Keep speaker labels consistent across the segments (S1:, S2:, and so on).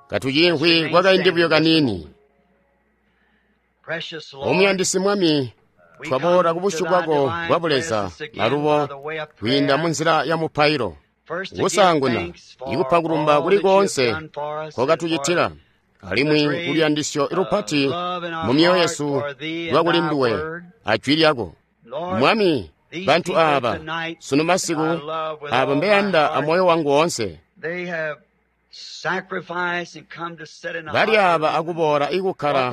S1: Katuciimvwi kwakaindi buyo kaniini. Omuyandisi Mwami, twaboola kubusyu bwako bwa Buleza alubo kwiinda munzila ya mupailo. Kusaanguna, ikupa kulumba kuli koonse nkokatucitila, alimwi kuluyandisyo lupati mu myoyo yesu lwakuli nduwe ajwi lyako. Mwami, bantu aaba sunu masiku aabo mbeyanda amoyo wangu woonse, bali aaba akuboola ikukkala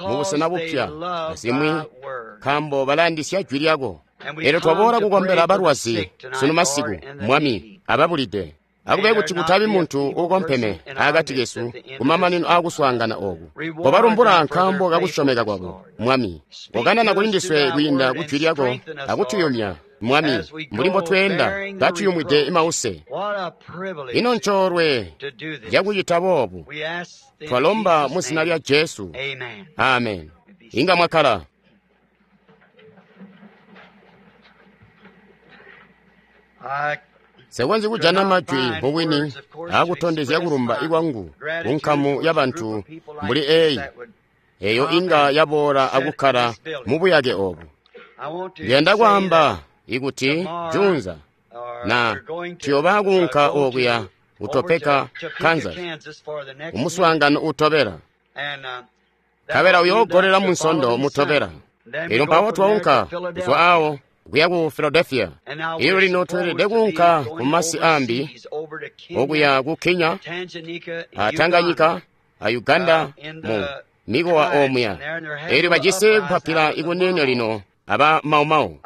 S1: mubusena bupya azimwi nkaambo balayandisya jwi lyako. Elyo twaboola kukombela balwazi sunu masiku, Mwami, ababulide. Akube kuti kutabi muntu uukompeme akati kesu kumamanino aakuswaangana ooku. Kobalumbula nkaambo kakusyomeka kwabo, Mwami. Kokanana kulindiswe kwiinda kujwi lyako akutuyumya, Mwami, mbuli mbotweenda katuyumwide mause. Ino ncoolwe cakucita boobu. Twalomba mu zina lya Jesu. Amen. Inga mwakkala. Nsekonzyi kujana majwi mubwini aakutondezya kulumba kwangu kunkamu yabantu mbuli eeyi, eeyo inga yaboola akukkala mubuyake oobu. Ndiyanda kwaamba ikuti juunza na tuyooba kuunka okuya ku Topeka, Kansas, kumuswaangano uutobela. Nkabela uyoogolela munsondo mutobela. Elyo mpawo twaunka kuzwa awo kuya ku Philadelphia. Elyo lino tweelede kuunka ku masi aambi, okuya ku Kenya, a Tanganyika, a Uganda, mu mikowa omuya. Elyo bajisi kupapila ikuniini lino aba Mau Mau.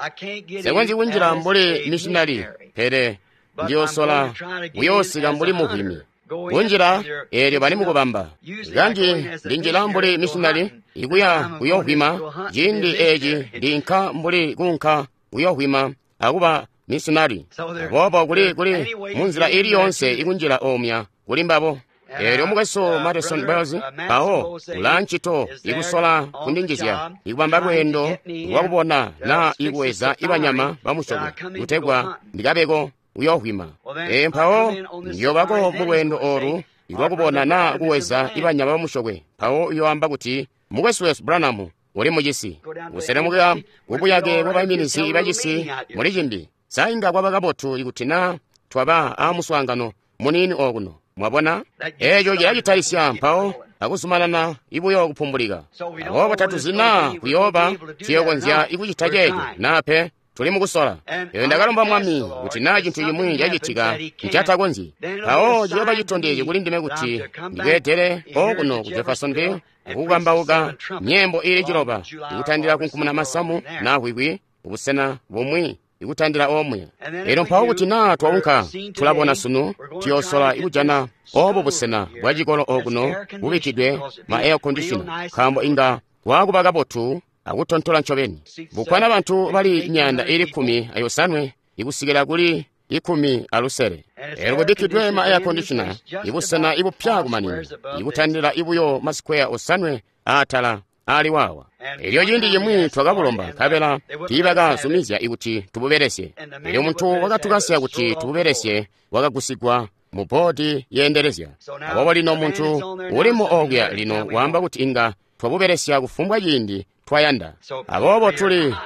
S1: Nsekonzyi kunjila mbuli missionary, pele ndiyoosola kuyoosika mbuli muvwimi. Kunjila eelyo bali mukubamba. Kanji ndinjila mbuli missionary ikuya kuyoovwima, ciindi eeci ndiinka mbuli kuunka kuyoovwima akuba missionary. Aboobo kuli munzila iili yoonse ikunjila omuya kuli mbabo. Eelyo mukwesu Madison Bells mpawo ulaa ncito ikusola kundinjizya ikubamba lweendo lwakubona naa ikuweza ibanyama bamusyokwe kutegwa ndikabeko kuyoovwima. Ee mpawo ndiyoobako mulweendo oolu lwakubona naa kuweza ibanyama bamusyokwe. Mpawo uyooamba kuti mukwesu wesu Branham uli mucisi, kuselemuka kubuyake bwabaiminizi bacisi muli cimbi. Sa inga kwaba kabotu ikuti naa twaba aamuswaangano muniini okuno? Mwabona? Eeco cilacitalisya mpawo akuzumanana ibuyo kupumbulika. Aboobo tatuzi naa kuyooba tuyookonzya ikucita ceeco naa pe. Tuli mukusola. Elyo ndakalomba Mwami kuti naa cintu cimwi cacitika ncatakonzyi, mpawo ciyooba citondezyo kuli ndime kuti ndibweedele okuno ku Jeffersonville akukambauka myeembo iili 9 ikutandila kunkumuna masamu naa hwikwi kubusena bumwi ikutandila omuya. Elyo mpawo kuti naa twaunka tulabona sunu tuyoosola ikujana oobo busena bwa cikolo okuno bubikkidwe ma air conditioner, nkaambo inga waakuba kabotu akutontola ncobeni. Bukkwana bantu bali 115 ikusikila kuli 16. Elyo kubikkidwe ma air conditioner ibusena ibupya kumanina, ikutandila ibuyo masikweya 5 aatala aali waawa. Elyo ciindi cimwi twakabulomba nkabela tiibakazumizya ikuti tububelesye. Elyo muntu wakatukasya kuti tububelesye wakagusigwa mu boodi yeendelezya. Aboobo lino muntu ulimo okuya lino waamba kuti inga twabubelesya kufumbwa ciindi twayanda. Aboobo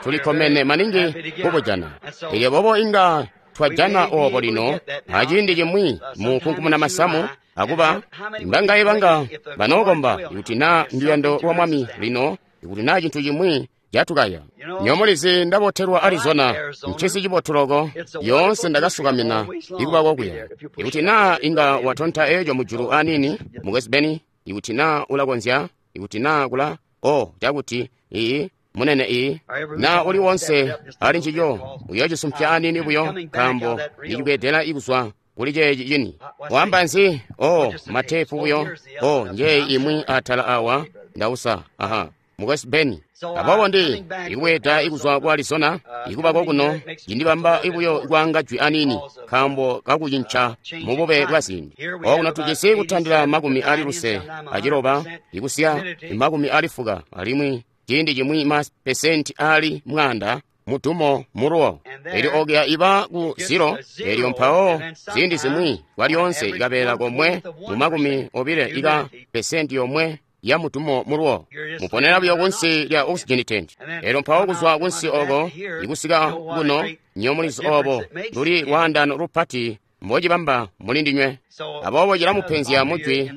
S1: tulikkomene maningi kubujana. Elyo boobo inga twajana oobo lino aciindi cimwi mu kunkumuna masamu akuba mbangaye banga banookomba ikuti naa nduyando lwa Mwami lino, ikuti naa cintu cimwi catukaya. Nyomulizi ndabotelwa Arizona, ncisi cibotu loko, yoonse ndakasukamina ikuba kokuya. Ikuti naa inga watonta eeco mujulu aniini, mukwesu Beni, ikuti naa ulakonzya, ikuti naa kula o cakuti ii munene ii naa uli wonse ali ncico uyoocisumpya aniini buyo, nkaambo ndicibweedela ikuzwa kuli ceeci cini. Waamba nzi? O mateepu buyo. O njeeyi imwi atala awa ndausa. Aha, mukwesu Beni. Aboobo ndi ikubweeda ikuzwa ku Arizona ikuba kokuno cindibamba ibuyo kwaanga jwi aniini nkaambo kakucinca mubube bwa ziindi. Okuno tujisi kutandila 96 ikusiya 90, alimwi ciindi cimwi ma pesenti ali 100 mudumo muluwo. Elyo okuya iba ku 0, elyo mpawo ziindi zimwi kwalyoonse ikabeela komwe mu 20 ika pesenti yomwe ya mudumo muluwo. Muponera buyo kunsi lya oxygen tent. Elyo mpawo kuzwa kunsi oko ikusika kuno nyomulizi obo luli lwaandano lupati mbocibamba muli ndinywe. Aboobo cilamupenzya mujwi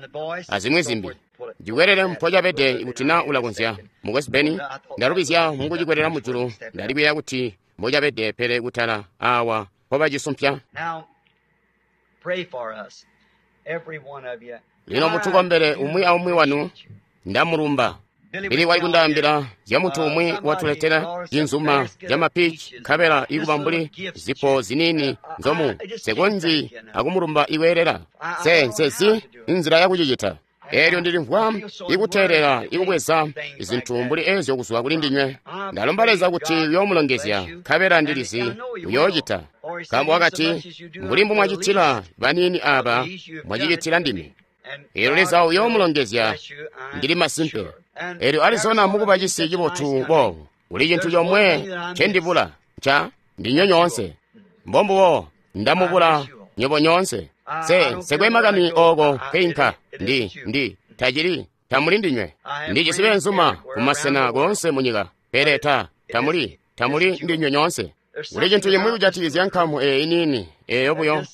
S1: azimwi zimbi. Ndikwelele mpocabede kuti na ulakonzya. Mukwesu Beni, ndalubizya mukucikwelera mujulu, ndalikuyeeya kuti mbocabede pele kutala awa mpobacisumpya. Lino mutukombele umwi aumwi wanu, ndamulumba. Bili wali kundaambila zya muntu umwi watuletela cinzuma ca mapici nkabela ikuba mbuli zipo ziniini nzomu sekonzi akumulumba ikweelela. Nse inzila yakucicita. Elyo ndilimvwa ikuteelela ikubweza zintu mbuli ezyo kuzwa kuli ndinywe. Ndalomba Leza kuti uyoomulongezya, nkabela ndilizi uyoocita. Nkaambo wakati, mbuli mbumwacitila baniini aaba, mwacicitila ndime. Elyo Leza uyoomulongezya, ndili masimpe. Elyo Arizona mukuba cisi cibotu boobu, kuli cintu comwe ncendibula, nca ndinywe nyoonse. Mbombubo ndamubula nywebo nyoonse. Nsekwe makani ooko nkeinka, ndi tacili tamuli ndinywe. Ndijisi beenzuma kumasena koonse munyika, pele tamuli ndinywe nyoonse. Kuli cintu cimwi kujatikizya nkamu eyi niini eyo buyo.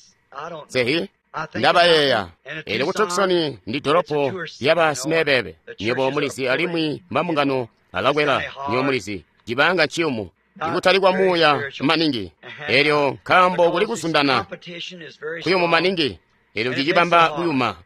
S1: Sehi ndabayeeya. Elyo ku Tucson ndi dolopo lyaba simebebe. Nywebo mulizi alimwi mambungano alakwela, nywebo mulizi cibanga nciyumu. Ikutali kwa muuya maningi. Elyo nkaambo kuli kuzundana kuyumu maningi, elyo cicibamba kuyuma.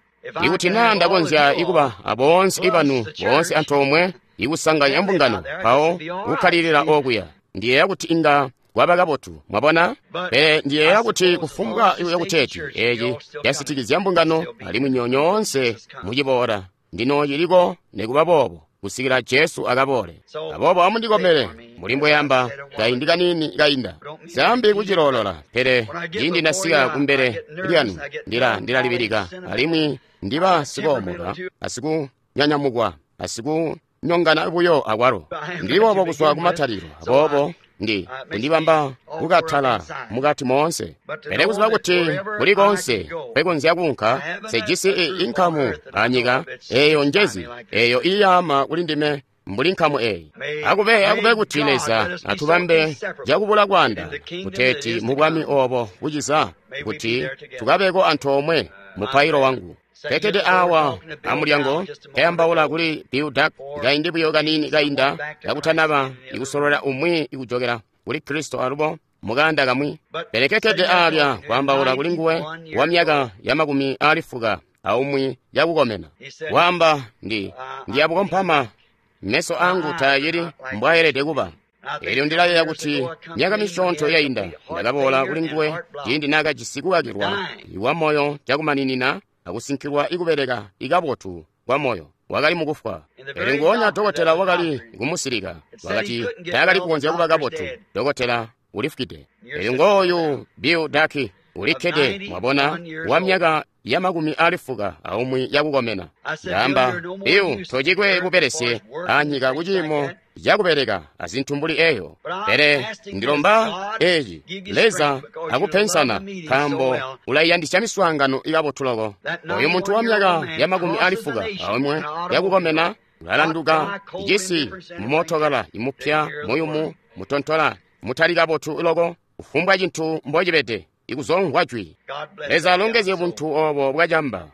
S1: Ikuti naa ndakonzya ikuba aboonse ibanu boonse antoomwe ikusanganya mbungano mpawo kukkalilila okuya, ndiyeeya kuti inga kwaba kabotu, mwabona? Pele ndiyeeya kuti kufumbwa yakuteeti eci casitikizya mbungano alimwi nyoonse muciboola, ndino ciliko nikuba boobo kusikila Jesu akaboole. Aboobo amundikomere mbuli mbweyamba kaindi kaniini kainda. Nsambi kuciloolola, pele ciindi ndasika kumbele lyanu ndilalibilika alimwi ndiba sikoomoka asikunyanyamukwa asikunyongana buyo akwalo. Ndili boobo kuzwa kumatalikilo, aboobo ndi kundibamba kukatala mukati moonse. Pele kuziba kuti kuli koonse kwekonzya kuunka, sejisi inkamu anyika eyo njezi eyo iyaama kuli ndime mbuli nkamu eyi. Akube kuti Leza atubambe cakubula kwaanda kuteeti mu bwami obo buciza, kuti tukabeko antoomwe mupailo wangu. Pekede awa amulyango kayambaula kuli Bill Duck kaindi buyo kaniini kainda kakutanaba ikusolola umwi ikujokela kuli Kristo alubo mukanda kamwi. Pele kekede alya kwaambaula kuli nguwe wa myaka ya 91 yakukomena. Waamba ndiyabukompama meso angu taacili mbwaayelede kuba. Elyo ndilayeeya kuti myaka misyoonto yainda ndakaboola kuli nguwe ciindi naakajisi kukakilwa kwa moyo cakumaninina akusinkilwa ikubeleka ikabotu kwa moyo, wakali mukufwa. Pele nguonya dokotela wakali kumusilika, wakati taakali kukonzya kuba kabotu, dokotela ulifukide. Elyo ngooyu Bill Duck ulikkede, mwabona, wa myaka ya 91 yakukomena. Ndaamba, Bill, tocikwe bubelesye anyika kuciimo cakubeleka azintu mbuli eyo. Pele ndilomba eci, Leza akupensana, nkaambo ulaiyandisya miswaangano ikabotu loko. Oyu muntu wa myaka ya 91 yakukomena ulalanduka icisi mumootokala imupya muyumu mutontola mutali kabotu loko, kufumbwa cintu mbocibede ikuzomvwa jwi. Leza alongezye buntu obo bwacamba.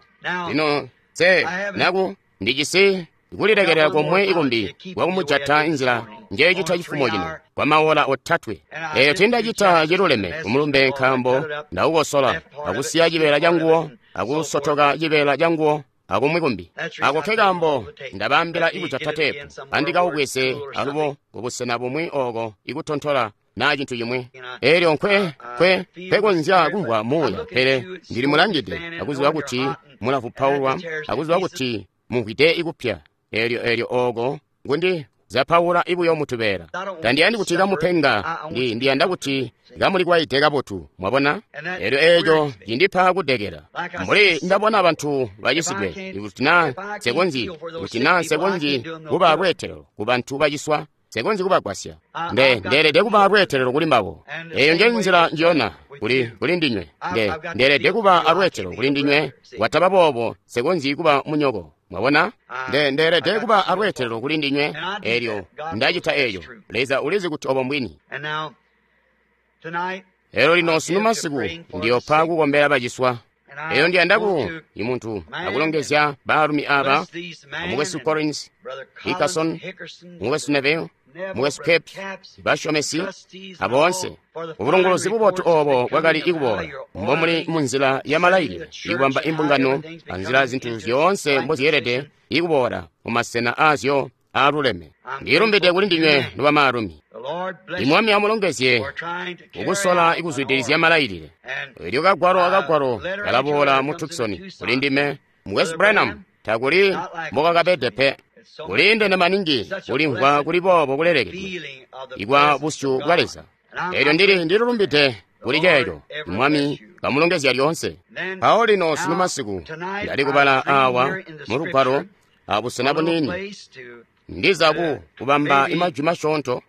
S1: Lino nse naku ndijisi kulilekelela komwe ikumbi kwakumujata inzila njecita cifumo cino kwa maola 3. Eyo tindacita ciluleme kumulumbe nkaambo ndaukosola akusiya cibeela canguwo akusotoka cibeela canguwo akumwi kumbi. Ako ke kaambo ndabaambila ikujata teepu andikaubweze alubo kubusena bumwi oko ikutontola naa cintu cimwi. Elyo nkwekonzya kumvwa muuya, pele ndili mulangide akuziba kuti mulavupaulwa akuziba kuti mumvwide ikupya. Elyo oko ngundi zapaula ibuyo mutubeela. Tandiyandi kuti kamupenga, ndiyanda kuti kamulikwaide kabotu, mwabona? Elyo eco cindipa kudekela. Mbuli ndabona bantu bacisidwe, ikuti naa nsekonzyi kuba lweetelo ku bantu baciswa, Nse konzyi kubagwasya. Ndeelede kuba alweetelelo kuli mbabo. Eyo nje nzila njiyona kuli ndinywe. Ndeelede kuba alweetelelo kuli ndinywe. Kwataba boobo, Nse konzyi kuba munyoko. Mwabona? Ndeelede kuba alweetelelo kuli ndinywe. Elyo ndacita eco. Leza ulizi kuti obo mbwini. Elyo lino sunu masiku ndiyopa kukombela baciswa. Eyo ndiyanda ku imuntu akulongezya baalumi aba, Mukwesu Collins, Hickerson, Mukwesu Neville, Mukwesu Capps, basyomesi, aboonse. Ubulongolozi bubotu obo bwakali ikuboola mbomuli munzila ya malailile, ikubamba imbungano anzila zintu zyoonse mbozyeelede ikuboola mumasena aazyo aaluleme. Ndilumbide kuli ndinywe nobamaalumi. Imwami amulongezye kukusola ikuzwidilizya malailile. Elyo kagwalo akagwalo kalaboola mu Tucson kuli ndime, Mukwesu Branham, takuli mbokakabede pe. Kuliindene maningi kulimvwa kuli boobo kulelekedwe ikwa busyu bwa Leza. Elyo ndililumbide kuli ceeco. Mwami kamulongezya lyoonse. Mpawo lino sunu masiku ndali kubala awa mu lugwalo abusena buniini. Ndiza kubamba imajwi masyoonto,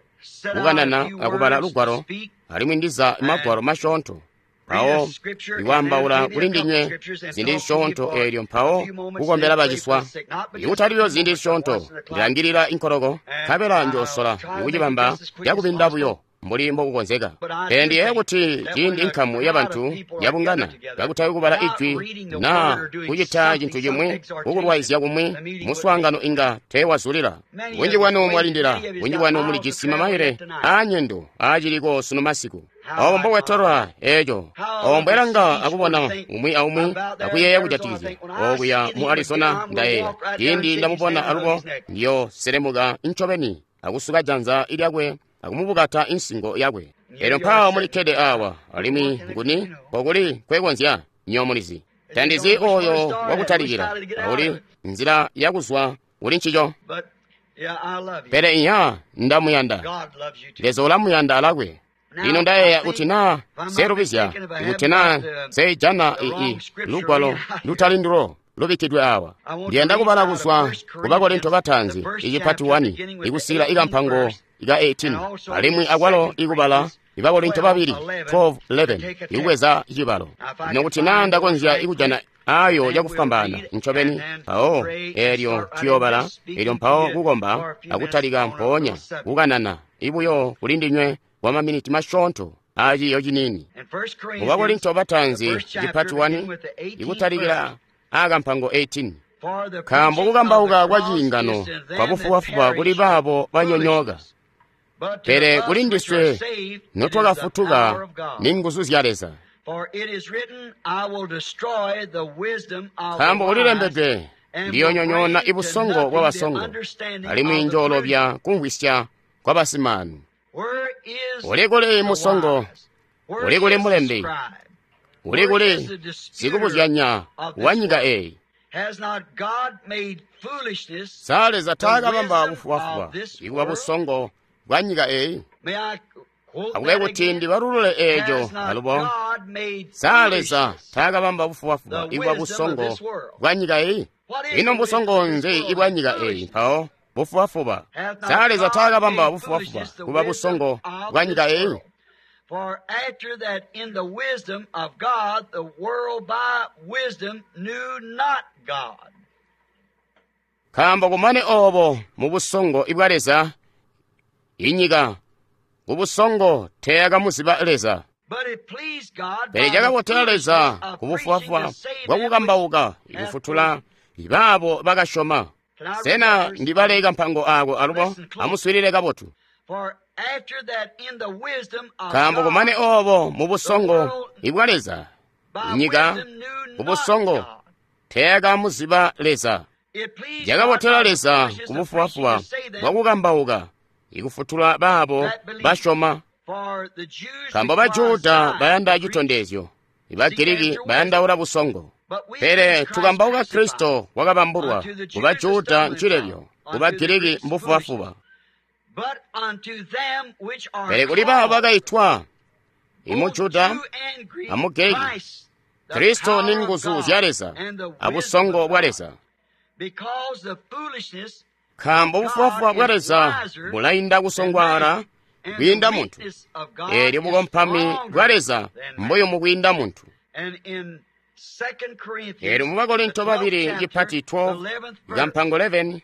S1: kukanana akubala lugwalo, alimwi ndiza magwalo masyoonto. Mpawo ikwaambaula kuli ndinywe ziindi zisyoonto eelyo mpawo kukombela baciswa. Ikutaliyo ziindi zisyoonto, ndilangilila inkoloko, nkabela njoosola ikucibamba cakubinda buyo mbuli mbokukonzeka. Pele ndiyeeya kuti ciindi inkamu yabantu yabungana kakutali kubala ijwi naa kucita cintu cimwi, kukulwaizya kumwi, muswaangano inga teewazulila. Bunji bwanu mwalindila, bunji bwanu mulijisi mamaile aanyendo aaciliko sunu masiku. Obo mbobwetolwa eco. Obo mbwelanga akubona umwi aumwi akuyeeya kujatikizya okuya mu Arizona. Ndayeeya ciindi ndamubona alubo, ndiyo selemuka ncobeni akusuka janza lyakwe akumubukata insingo yakwe. Elyo mpawo mulikkede awa, alimwi nguni nkokuli kwekonzya nyomulizi. Tandizi oyo wakutalikila, auli nzila yakuzwa kuli ncico. Pele iya ndamuyanda. Leza ulamuyanda alakwe. Lino ndayeeya kuti naa selubizya, kuti naa seijana lugwalo lutali ndulo lubikkidwe awa. Ndiyanda kubala kuzwa ku Bakorinto bataanzi icipati 1 ikusikila ikampango ika 18, alimwi akwalo ikubala Ibakorinto babili 12:11 ikubweza cibalo. Lino kuti naa ndakonzya ikujana ayo yakufwambaana ncobeni, mpawo eelyo tuyoobala, elyo mpawo kukomba akutalika mpoonya kukanana ibuyo kuli ndinywe kwa maminiti masyoonto aciiyo ciniini. Mu Bakorinto bataanzi cipati 1 ikutalikila akampango 18. Nkaambo kukambauka kwa ciingano kwabufubafuba kuli baabo banyonyooka, pele kuli ndiswe notwakafutuka ni nguzu zya Leza. Nkaambo kulilembedwe, ndiyonyonyoona ibusongo bwabasongo, alimwi njoolobya kumvwisya kwabasimaanu. Uli kuli musongo? Uli kuli mulembi? Uli kuli sikubuzyanya wa nyika eyi? Sa Leza taakabamba bufubafuba ikuba busongo bwa nyika eyi? Akube kuti ndibalulule eeco alubo. Sa Leza taakabamba bufubafuba ikuba busongo bwa nyika eyi? Ino mbusongo nzi ibwa nyika eyi mpawo bufubafuba? Sa Leza taakabamba bufubafuba kuba busongo bwa nyika eyi?
S2: For after that in the wisdom of God, the world by wisdom knew not God.
S1: Nkaambo kumane obo mu busongo ibwa Leza, inyika ku busongo teyakamuziba Leza. Pele cakabotela Leza ku bufubafuba bwakukambauka ikufutula baabo bakasyoma. Sena ndibale kampango ako alubo? Amuswiilile kabotu. Nkaambo kumane obo mu busongo ibwa Leza, inyika ku busongo teyakamuziba Leza. Cakabotela Leza ku bufubafuba bwakukambauka ikufutula baabo basyoma. Nkaambo Bajuda bayanda citondezyo, Bagiriki bayandaula busongo. Pele tukambauka Kristo wakabambulwa, ku Bajuda ncilebyo, ku Bagiriki mbufubafuba. Pele kuli baabo bakaitwa, imujuda amugiriki, Kristo ni nguzu zya Leza abusongo bwa Leza. Nkaambo bufubafuba bwa Leza bulainda kusongwaala kwiinda muntu, eelyo bukompami bwa Leza mbuyumu kwiinda muntu. Eelyo mu Bakorinto babili cipati 12 kampango 11,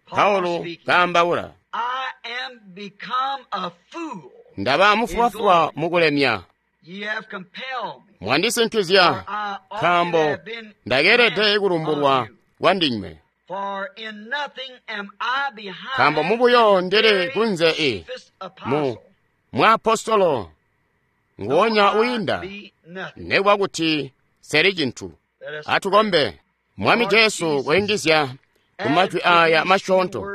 S1: Paulo kaambaula, ndaba mufubafuba mukulemya, mwandisinkizya, nkaambo ndakeelede kulumbulwa kwandinywe. Nkaambo mubuyo ndili kunze i mu mwaapostolo nguwonya uyinda, nekuba kuti seli cintu. Atukombe. Mwami Jesu, kuyungizya ku majwi aya masyoonto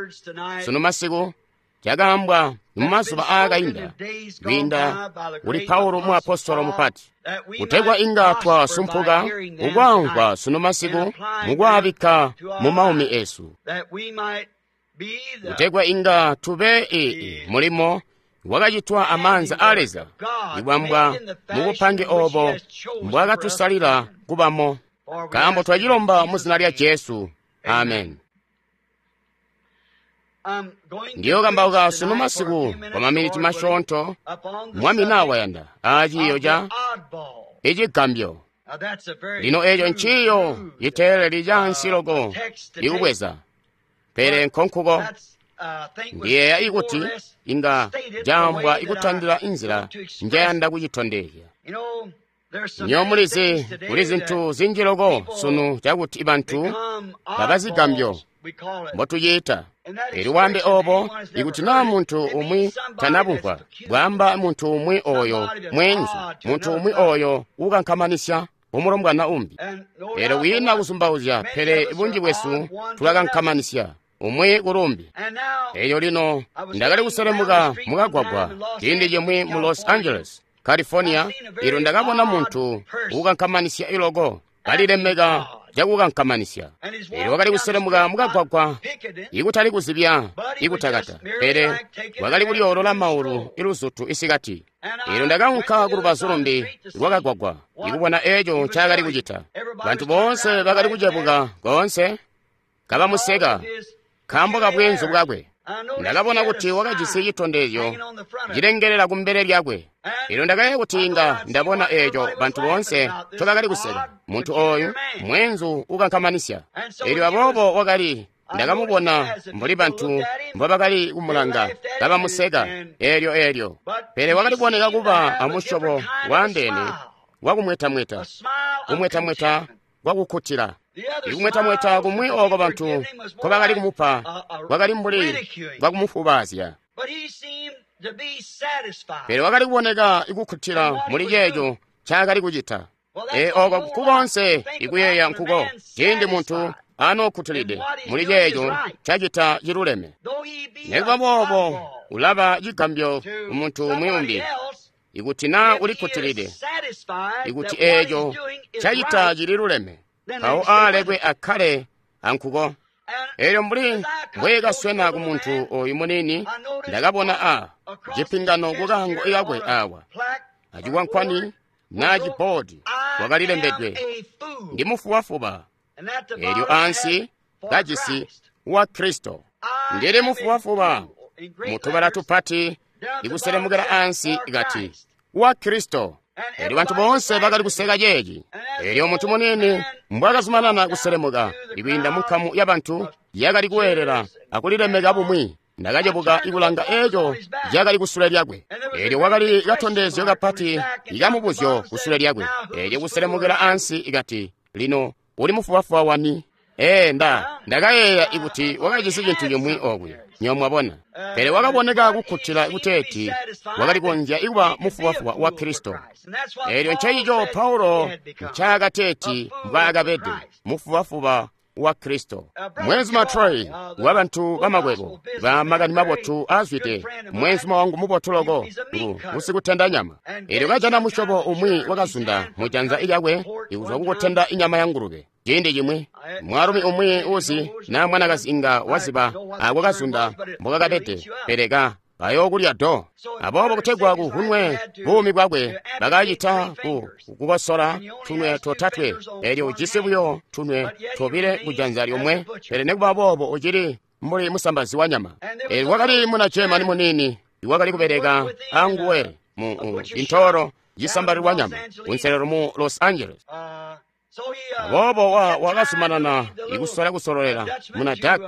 S1: sunu masiku, cakaambwa mumazuba aakainda kwiinda kuli Paulo muapostolo mupati, kutegwa inga twasumpuka kukwaamvwa sunu masiku mukwaabikka mu maumi esu, kutegwa inga tube ii mulimo wakacitwa amaanza a Leza, ibwambwa mubupange obo mbwakatusalila kubamo. Nkaambo twacilomba mu zina lya Jesu. Amen. Ndiyokambauka sunu masiku kwa maminiti masyoonto, Mwami nawayanda, aaciiyo ca icigambyo. Lino eeco nciiyo citeeleli caansi loko ikubweza, pele nkonkuko ndiyeeya ikuti inga caambwa ikutandila inzila njayanda kucitondezya. Nyo mulizi kuli zintu zinji loko sunu cakuti bantu babazigambyo mbotuciita. Elyo wambe obo, ikuti naa muntu umwi tanabumvwa, bwaamba muntu umwi oyo mweenzu, muntu umwi oyo ukankamanisya umulombwana umbi. Elyo kwiina kuzumbauzya, pele bunji bwesu tulakankamanisya umwi kulumbi. Elyo lino ndakali kuselemuka mukagwagwa ciindi cimwi mu Los Angeles, California, elyo ndakabona muntu ukankamanisya iloko, kalilemeka cakukankamanisya. Elyo wakali kuselemuka mukagwagwa, ikutali kuzibya ikutakata, pele wakali kulyoolola maulu iluzutu isikati. Elyo ndakaunka kulubazu lumbi lwakagwagwa ikubona eeco ncaakali kucita. Bantu boonse bakali kucebuka koonse kabamuseka nkaambo kabweenzu bwakwe. Ndakabona kuti wakajisi citondezyo cilengelela kumbele lyakwe. Elyo ndakayeeya kuti inga ndabona eeco bantu boonse ncobakali kuseka, muntu ooyu mweenzu ukankamanisya. Elyo aboobo wakali, ndakamubona mbuli bantu mbobakali kumulanga kabamuseka eelyo eelyo. Pele wakali kuboneka kuba amusyobo waandeene wakumwetamweta, kumwetamweta kwakukkutila. Ikumwetamweta kumwi ooko bantu nkobakali kumupa kwakali mbuli kwakumufubaazya. Pele wakali kuboneka ikukkutila muli ceeco ncaakali kucita. E ooko nkukoonse ikuyeeya nkuko ciindi muntu anookkutilide muli ceeco ncacita ciluleme. Nekuba boobo ulaba cigambyo kumuntu umwi umbi ikuti naa ulikkutilide ikuti eeco ncacita cililuleme, mpawo aalekwe akkale ankuko. Elyo mbuli mbweekaswena ku muntu oyu muniini, ndakabona a cipingano kukaango kakwe awa, acikwankwani naa ciboodi wakalilembedwe, ndi mufubafuba. Elyo ansi kajisi wa Kristo. Ndili mufubafuba mutubala tupati ikuselemukela ansi kati wa Kristo. Elyo bantu boonse bakali kuseka ceeci. Elyo muntu muniini mbwakazumanana kuselemuka ikwiinda munkamu yabantu yakali kuweelela akulilemeka bumwi, ndakacebuka ikulanga eeco cakali kusule lyakwe. Elyo wakali katondezyo kapati ikamubuzyo kusule lyakwe. Elyo kuselemukela ansi ikati, lino uli mufubafuba wani? Ee, ndakayeeya ikuti wakajisi cintu cimwi okwi, nyo mwabona. Pele wakaboneka kukkutila kuteeti wakali konzya ikuba mufubafuba wa Kristo. Elyo ncencico Paulo ncaakateeti mbwaakabede, mufubafuba wa Kristo. Mwenzuma Troy wa bantu bamakwebo ba makani mabotu aazwide, mwenzuma wangu mubotu loko ngu usikutenda nyama. Elyo kajana musyobo umwi wakazunda mujanza lyakwe ikuzwa kukutenda inyama ya ngulube. Ciindi cimwi mwaalumi umwi uzi naa mwanakazi inga waziba ako kazunda mbokakabede, pele kayookulya do. Aboobo kutegwa kuvunwe buumi bwakwe, bakacita kukosola tunwe totatwe. Elyo ujisi buyo tunwe tobile kujanza lyomwe, pele nekuba boobo ucili mbuli musambazi wa nyama. Elyo wakali muna German muniini iwakali kubeleka anguwe mu intoro yisambalilwa nyama kunselelo mu Los Angeles. Aboobo wakazumanana ikusola kusololela muna Dutch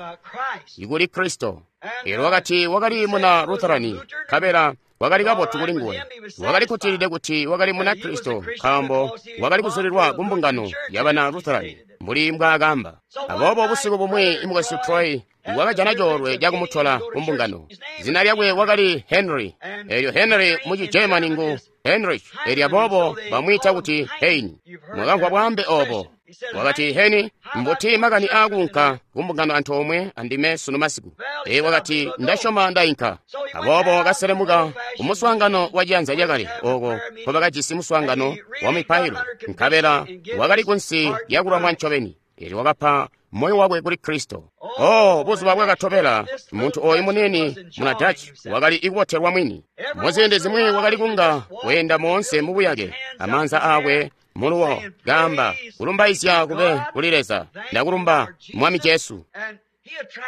S1: ikuli Kristo. Elyo wakati wakali muna Lutherani, nkabela wakali kabotu kuli nguwe. Wakali kutilide kuti wakali muna Kristo nkaambo wakali kuzulilwa ku mbungano yabana Lutherani mbuli mbwaakamba. Aboobo busiku bumwi Mukwesu Troy wakajana coolwe cakumutola ku mbungano. Zina lyakwe wakali Henry. Elyo Henry muci German ngu Heinrich. Elyo aboobo bamwiita kuti Hein. Mwakamvwa bwaambe obo. Wakati, Heni, mbuti makani aakuunka ku mbungano antoomwe andime sunu masiku? Ee, wakati, ndasyoma ndainka. Aboobo wakaselemuka ku muswaangano wa ciyanza cakale oko nkobakajisi muswaangano wa mipailo, nkabela wakali kunsi lyakulwamwa ncobeni. Elyo wakapa moyo wakwe kuli Kristo. Oh, buzuba bwakatobela, muntu oyu muniini muna Dutch wakali ikubotelwa mwini. Muziindi zimwi wakali kunga weenda moonse mu buyake, amaanza aakwe muluwo, kaamba, kulumbaizya kube kuli Leza, ndakulumba Mwami Jesu.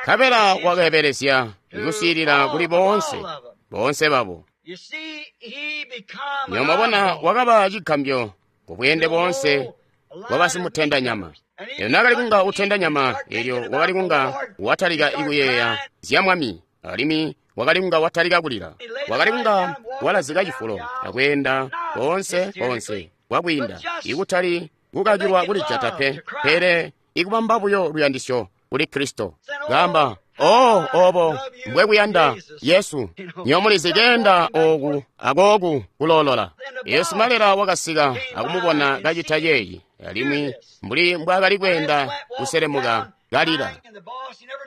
S1: Nkabela wakeebelezya ikusiilila kuli boonse, boonse babo. Nywebo mwabona, wakaba cigambyo ku bweende boonse bwabasimutenda nyama. Elyo naakali kunga utenda nyama, elyo wakali kunga watalika ikuyeeya zya Mwami, alimwi wakali kunga watalika kulila. Wakali kunga walazika cifulo akweenda koonse koonse kwakwiinda, ikutali kukakilwa kulijata pe, pele ikubamba buyo luyandisyo kuli Kristo. Kaamba, oh, obo mbwekuyanda Yesu, nywebo mulizi keenda oku akooku kuloolola. Yesu malela wakasika akumubona kacita ceeci, alimwi mbuli mbwaakali kweenda kuselemuka kalila.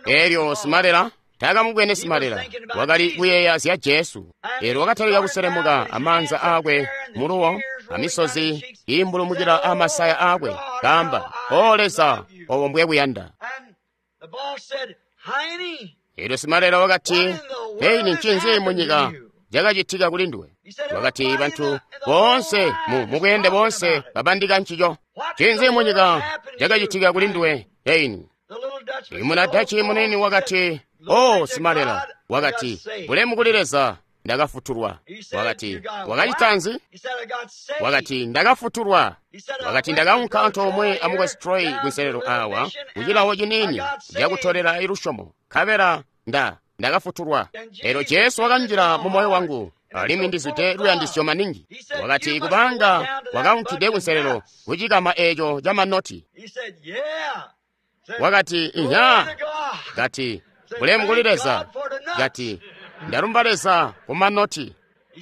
S1: Elyo simalela taakamubwene simalela, wakali kuyeeya zya Jesu. Elyo wakatalika kuselemuka amaanza aakwe muluwo, amisozi iimbulumukila amasaya aakwe, kaamba, O Leza, obo mbwekuyanda. Elyo simalela wakati, Heini, ncinzi munyika cakacitika kuli nduwe? Wakati, bantu boonse mu bweende boonse babandika ncico. Ncinzi munyika cakacitika kuli nduwe, Heini? Imuna Dachi munini wakati, Oh, simalela, wakati, bulemu kuli Leza, ndakafutulwa. Wakati, wakacita nzi? Wakati, ndakafutulwa. Wakati, ndakaunka antoomwe a Mukwesu Troy kunselelo awa kucilawo ciniini cakutolela ilusyomo, nkabela ndakafutulwa. Elyo Jesu wakanjila mu moyo wangu, alimwi ndizwide luyandisyo maningi. Wakati, kubanga wakaunkide kunselelo kucikama eco ca manoti. Wakati, inya. Kati, bulemu kuli Leza. Kati, ndalumba Leza ku manoti.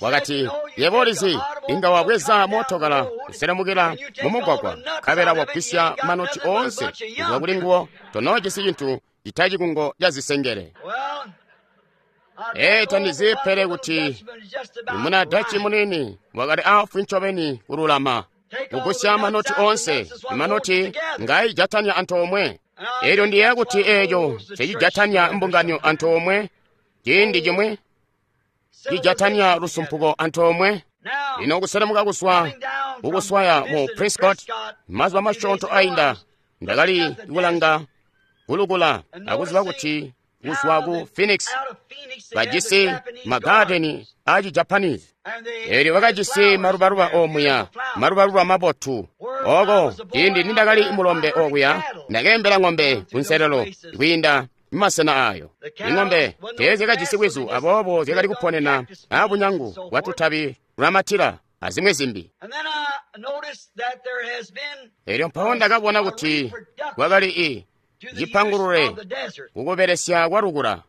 S1: Wakati, yebo ulizi, inga wabweza mootokala kuselemukila mu mugwagwa, nkabela wagwisya manoti oonse kuzwa kuli nguwo, tonoojisi cintu cita cikungo ca zisengele. Ee, tandizi pele kuti imuna Dachi munini wakali aafwi ncobeni kululama kugusya manoti oonse, imanoti ngaijatanya antoomwe. Elyo ndiyeeya kuti eeco ncecijatanya mbungano antoomwe ciindi cimwi, cijatanya lusumpuko antoomwe. Lino kuselemuka kuzwa kukuswaya mu Prescott mazuba masyoonto ainda, ndakali kulanga kulukula akuziba kuti kuzwa ku Phoenix bajisi magadeni aaci Japanese. Elyo bakajisi malubaluba omuya, malubaluba mabotu. Oko ciindi nindakali mulombe okuya, ndakeembela ng'ombe kunselelo kwiinda mumasena ayo. Ing'ombe teezyakajisi bwizu, aboobo zyakali kuponena abunyangu bwatutabi lwamatila azimwi zimbi. Elyo mpawo ndakabona kuti kwakali cipangulule kukubelesya kwa lukula.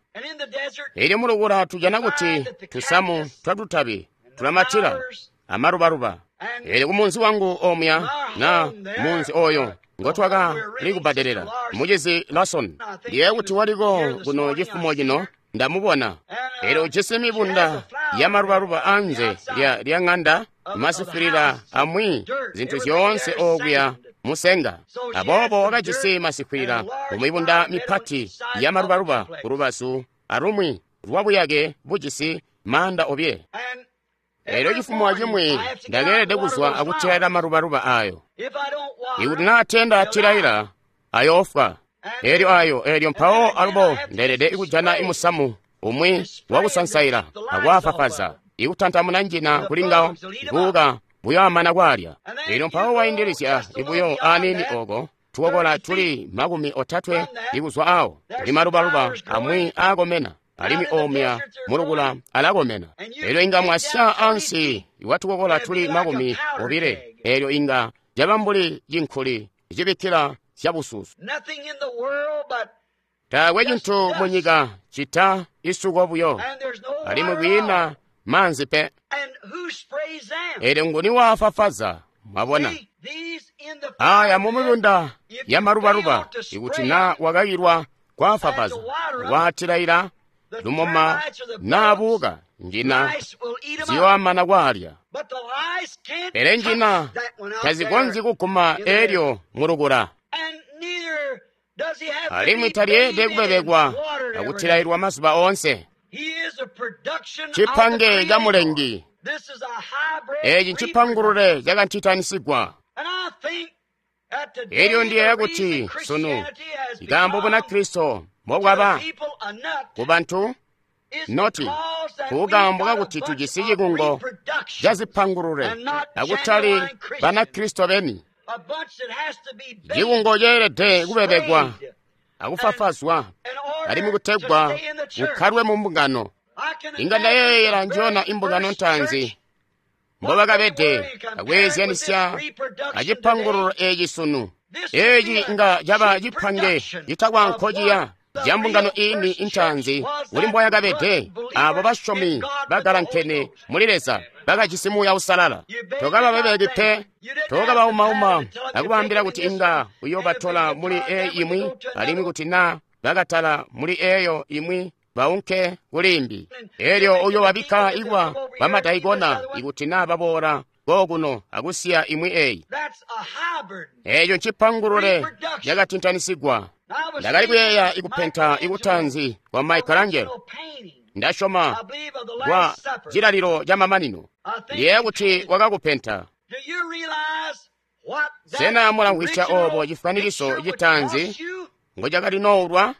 S1: Elyo mulukula tujana kuti tusamu twatutabi tulamatila amalubaluba. Elyo kumunzi wangu omuya, na munzi oyo ngotwakali kubbadelela, mucizi Lawson, ndiye kuti waliko kuno cifumo cino, ndamubona. Elyo ujisi mibunda ya malubaluba anze lya ng'anda, masifwilila amwi, zintu zyoonse okuya musenga. Aboobo wakajisi masikwilila mumibunda mipati ya malubaluba kulubazu alumwi lwabuyake bujisi maanda obile. Elyo cifumo cimwi ndakeelede kuzwa akutilaila malubaluba ayo. Ikuti naa tenda atilaila, ayoofwa. Elyo ayo, elyo mpawo alubo ndeelede kujana imusamu umwi wakusansaila akwafafaza ikutantamuna njina kuli ngawo kuuka buyoamana kwalya. Elyo mpawo waindilizya ibuyo aniini oko tukokola tuli 30 ikuzwa awo kuli malubaluba amwi aakomena alimwi omya mulukula alakomena. Elyo inga mwasya ansi iwatukokola tuli 20, elyo inga caba mbuli cinkuli cibikkila zyabususu. Taakwe cintu munyika cita isuko buyo, alimwi kwiina maanzi pe. Elyo nguni waafafaza? Mwabona aya mumibunda ya malubaluba, ikuti na wakakilwa kwafafaza, waatilaila lumoma naabuka njina ziyoamana kwalya. Pele njina tazikonzyi kuguma elyo mulukula, alimwi talyeede kubebekwa akutilailwa mazuba oonse. Cipange ca mulengi eci ncipangulule cakantitanisigwa. Elyo ndiyeeya kuti sunu ikaambo Bunakristo mbobwaba kubantu noti kukaambo kakuti tujisi cikungo cazipangulule akutali Banakristo beni. Cikungo ceelede kubebekwa akufafazwa alimwi kutegwa kukkalwe mu mbungano. Inga ndayeeyela njona imbungano ntaanzi mbobakabede akweezyanisya acipangululo eci sunu. Eci nga caba cipange citakwa nkociya ca mbungano iini intaanzi kuli mboyakabede. Abo basyomi bagalankene muli Leza bakajisi Muuya Uusalala. Tokababebeki pe, tokabaumauma akubaambila kuti inga uyoobatola muli eyi imwi, alimwi kuti na bakatala muli eyo imwi baunke kulimbi. Elyo uyoobabikka ikwa bamadaikona ikuti na baboola kokuno akusiya imwi eyi. Eco ncipangulule cakatintanisigwa. Ndakali kuyeeya ikupenta ikutanzi kwa Michelangelo, ndasyoma kwa cilalilo ca mamanino. Ndiyeeya kuti wakakupenta. Sena mulamvwisya obo cifwanikiso citanzi ngo cakali noulwa?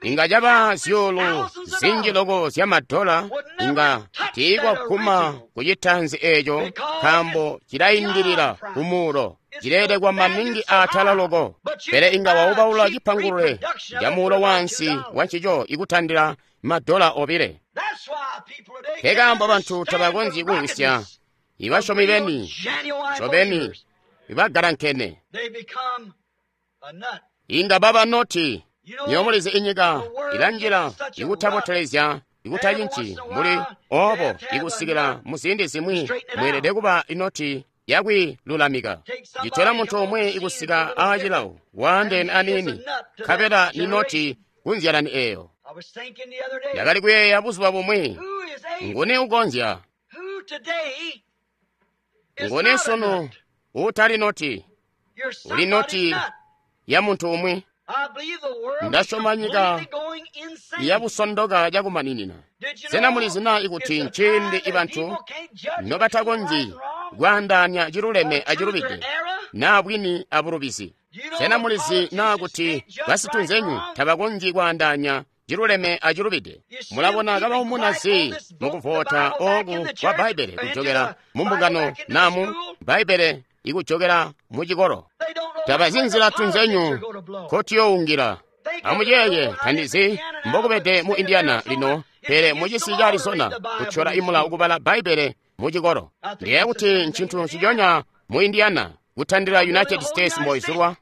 S1: Inga caba zyuulu zinji loko zya madola, inga tiikwaguma ku citanzi eco nkaambo cilaindilila kumuulo, cileelekwa maningi aatala loko. Pele inga waubaula cipangulule ca muulo waansi wancico ikutandila madola 2. Nkekaambo bantu tabakonzyi kumvwisya ibasyomi beni ncobeni ibagalankene. Inga baba noti. Nyomulizi inyika ilanjila ikutabotelezya ikutacinci mbuli obo ikusikila muziindi zimwi mweelede kuba inoti yakwilulamika. Citola muntu umwi ikusika aacilawo waandeene aniini, nkabela ni noti kunzyalani eyo. Ndakali kuyeeya buzuba bumwi, nguni ukonzya? Nguni sunu uutali noti? Uli noti ya muntu umwi. Ndasyoma nyika yabusondoka cakumaninina. Sena mulizi na ikuti nciindi ibantu nobatakonzyi kwaandaanya ciluleme acilubide, naa bwini abulubizi? Sena mulizi na kuti basitunzenyu tabakonzyi kwaandaanya ciluleme acilubide? Mulabona kabaumuna zi mukuvota oku kwa Bbaibbele kujokela mu mbungano namu Bbaibbele ikujokela mu cikolo. Tabazi nzila tunzenyu kotiyoungila. Amuyeeye, tandizi mbokubede mu Indiana lino, pele mucisi ca Arizona kutyola imulawo kubala Bbaibbele mu cikolo. Ndiyeeya kuti ncintu nciconya mu Indiana kutandila United States mboizulwa.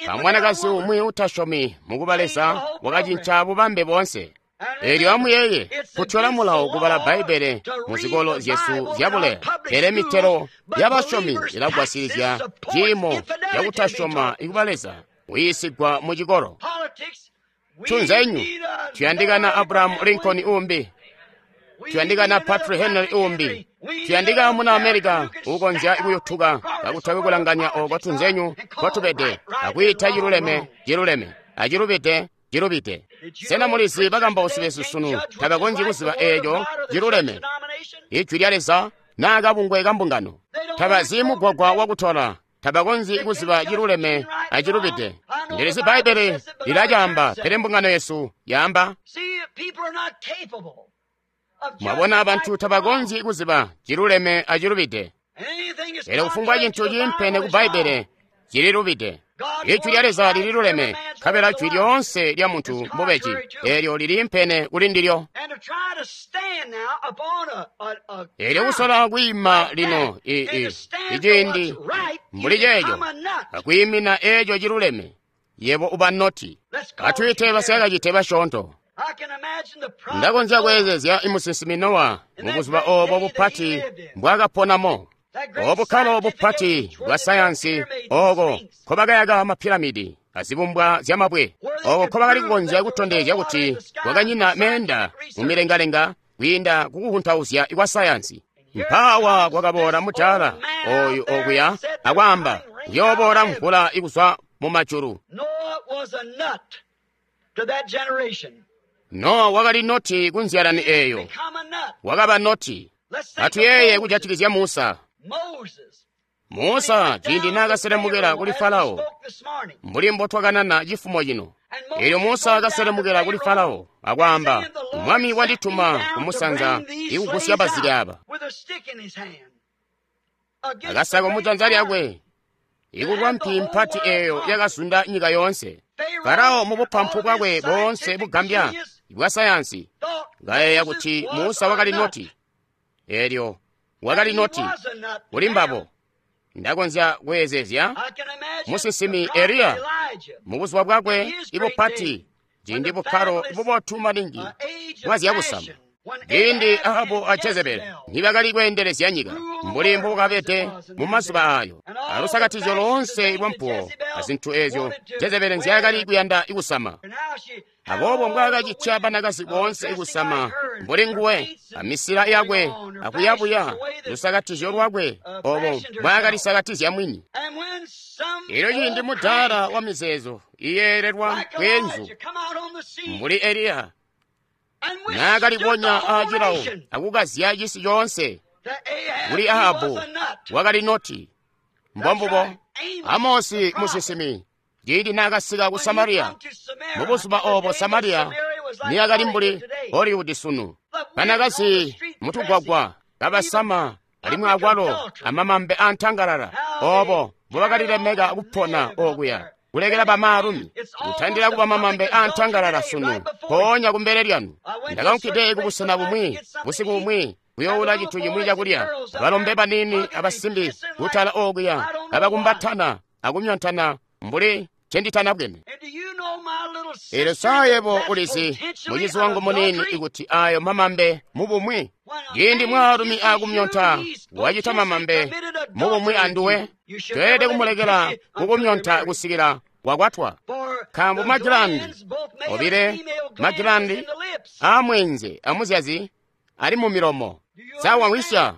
S1: Kamwanakazi umwi utasyomi mukuba Leza wakacinca bubambe boonse. Elyo amuyeeye, kutyola mulawo kubala Bbaibbele mu zikolo zyesu zyabuleya, pele mitelo yabasyomi ilagwasilizya ciimo cakutasyoma ikuba Leza kuyiisigwa mu cikolo. Tunzenyu tuyandikana Abraham Lincoln umbi, tuyandikana Patrick Henry umbi, tuyandika muna America ukonzya kuyutuka kakutakwe kulanganya oko tunzenyu kotubede akwiita ciluleme ciluleme acilubide cilubide. Sena mulizi bakambausi besu sunu tabakonzyi kuziba eeco ciluleme ijwi lya Leza naa kabungwe ka mbungano? Tabazi mugwagwa wakutola, tabakonzyi kuziba ciluleme acilubide. Ndilizi Bbaibbele lilacaamba, pele mbungano yesu yaamba. Mwabona, bantu tabakonzyi kuziba ciluleme acilubide. Pele kufumbwa cintu ciimpene ku Bbaibbele cililubide. Ijwi lya Leza lililuleme, nkabela jwi lyoonse lya muntu mbubeji, eelyo liliimpene kuli ndilyo. Eelyo kusola kwiima lino iciindi mbuli ceeco, akwiimina eeco ciluleme, yebo uba noti. Atwiite basyakacite basyoonto. Ndakonzya kweezezya imusinsimi Nowa mubuzuba oobo bupati mbwaakaponamo. Obukkalo bupati bwa sayansi ooko nkobakayaka mapiramidi azibumbwa zyamabwe, ooko nkobakali kukonzya kutondezya kuti kwakanyina meenda mumilengalenga kwiinda kukuhuntauzya kwa sayansi. Mpaawa kwakaboola mudaala oyu okuya akwaamba, kuyooboola mvula ikuzwa mumajulu. Nowa wakali noti ku nzyalani eeyo, wakaba noti. Atuyeeye kujatikizya Musa. Musa ciindi naakaselemukela kuli Farao, mbuli mbotwakanana cifumo cino. Eelyo Musa akaselemukela kuli Farao akwaamba, Mwami wandituma kumusanza ikugusya bazike aba. Akasako mujanza lyakwe, ikulwa mpi mpati eeyo yakazunda nyika yoonse. Farao mubupampu bwakwe boonse bugambya bwa sayansi kayeeya kuti Musa wakali noti. Eelyo wakali noti kuli mbabo. Ndakonzya kweezezya musinsimi Eliya mubuzuba bwakwe ibupati, ciindi bukkalo bubotu maningi bwazyakusama, ciindi Ahabu a Jezebeli nibakali kweendelezya nyika mbuli mbubukabede mumazuba aayo, alusakatizyo loonse lwampuwo azintu eezyo Jezebeli nzyaakali kuyanda kusama. Aboobo mbwaakacitya banakazi boonse kusama mbuli nguwe, amisila yakwe akuyabuya lusakatizyo lwakwe obo mbwaakalisakatizya mwini. Elyo ciindi mudaala wa mizeezo iyeelelwa kweenzu mbuli Eliya naakalibonya aacilawo akukazya cisi coonse kuli Ahabu, wakali noti. Mbombubo Amosi musinsimi ciindi naakasika ku Samariya, mubuzuba oobo Samariya niyakali mbuli Hollywood sunu, banakazi mutugwagwa kabasama alimwi akwalo amamambe antangalala, oobo mbubakalilemeka kupona okuya, kulekela bamaalumi kutandila kuba mamambe antangalala sunu, mpoonya kumbele lyanu. Ndakaunkide kubusena bumwi busiku bumwi kuyoowula cintu cimwi cakulya, balombe baniini abasimbi kutala okuya kabakumbatana akumyontana mbuli ncenditanabwene. Eelyo sa yebo ulizi, mucizi wangu muniini, ikuti ayo mamambe mubumwi, ciindi mwaalumi aakumyonta wacita mamambe mubumwi anduwe, toyelede kumulekela kukumyonta kusikila wakwatwa. Nkaambo magilandi obile, magilandi aamweenze amuzyazi ali mumilomo. Sa wamwisya?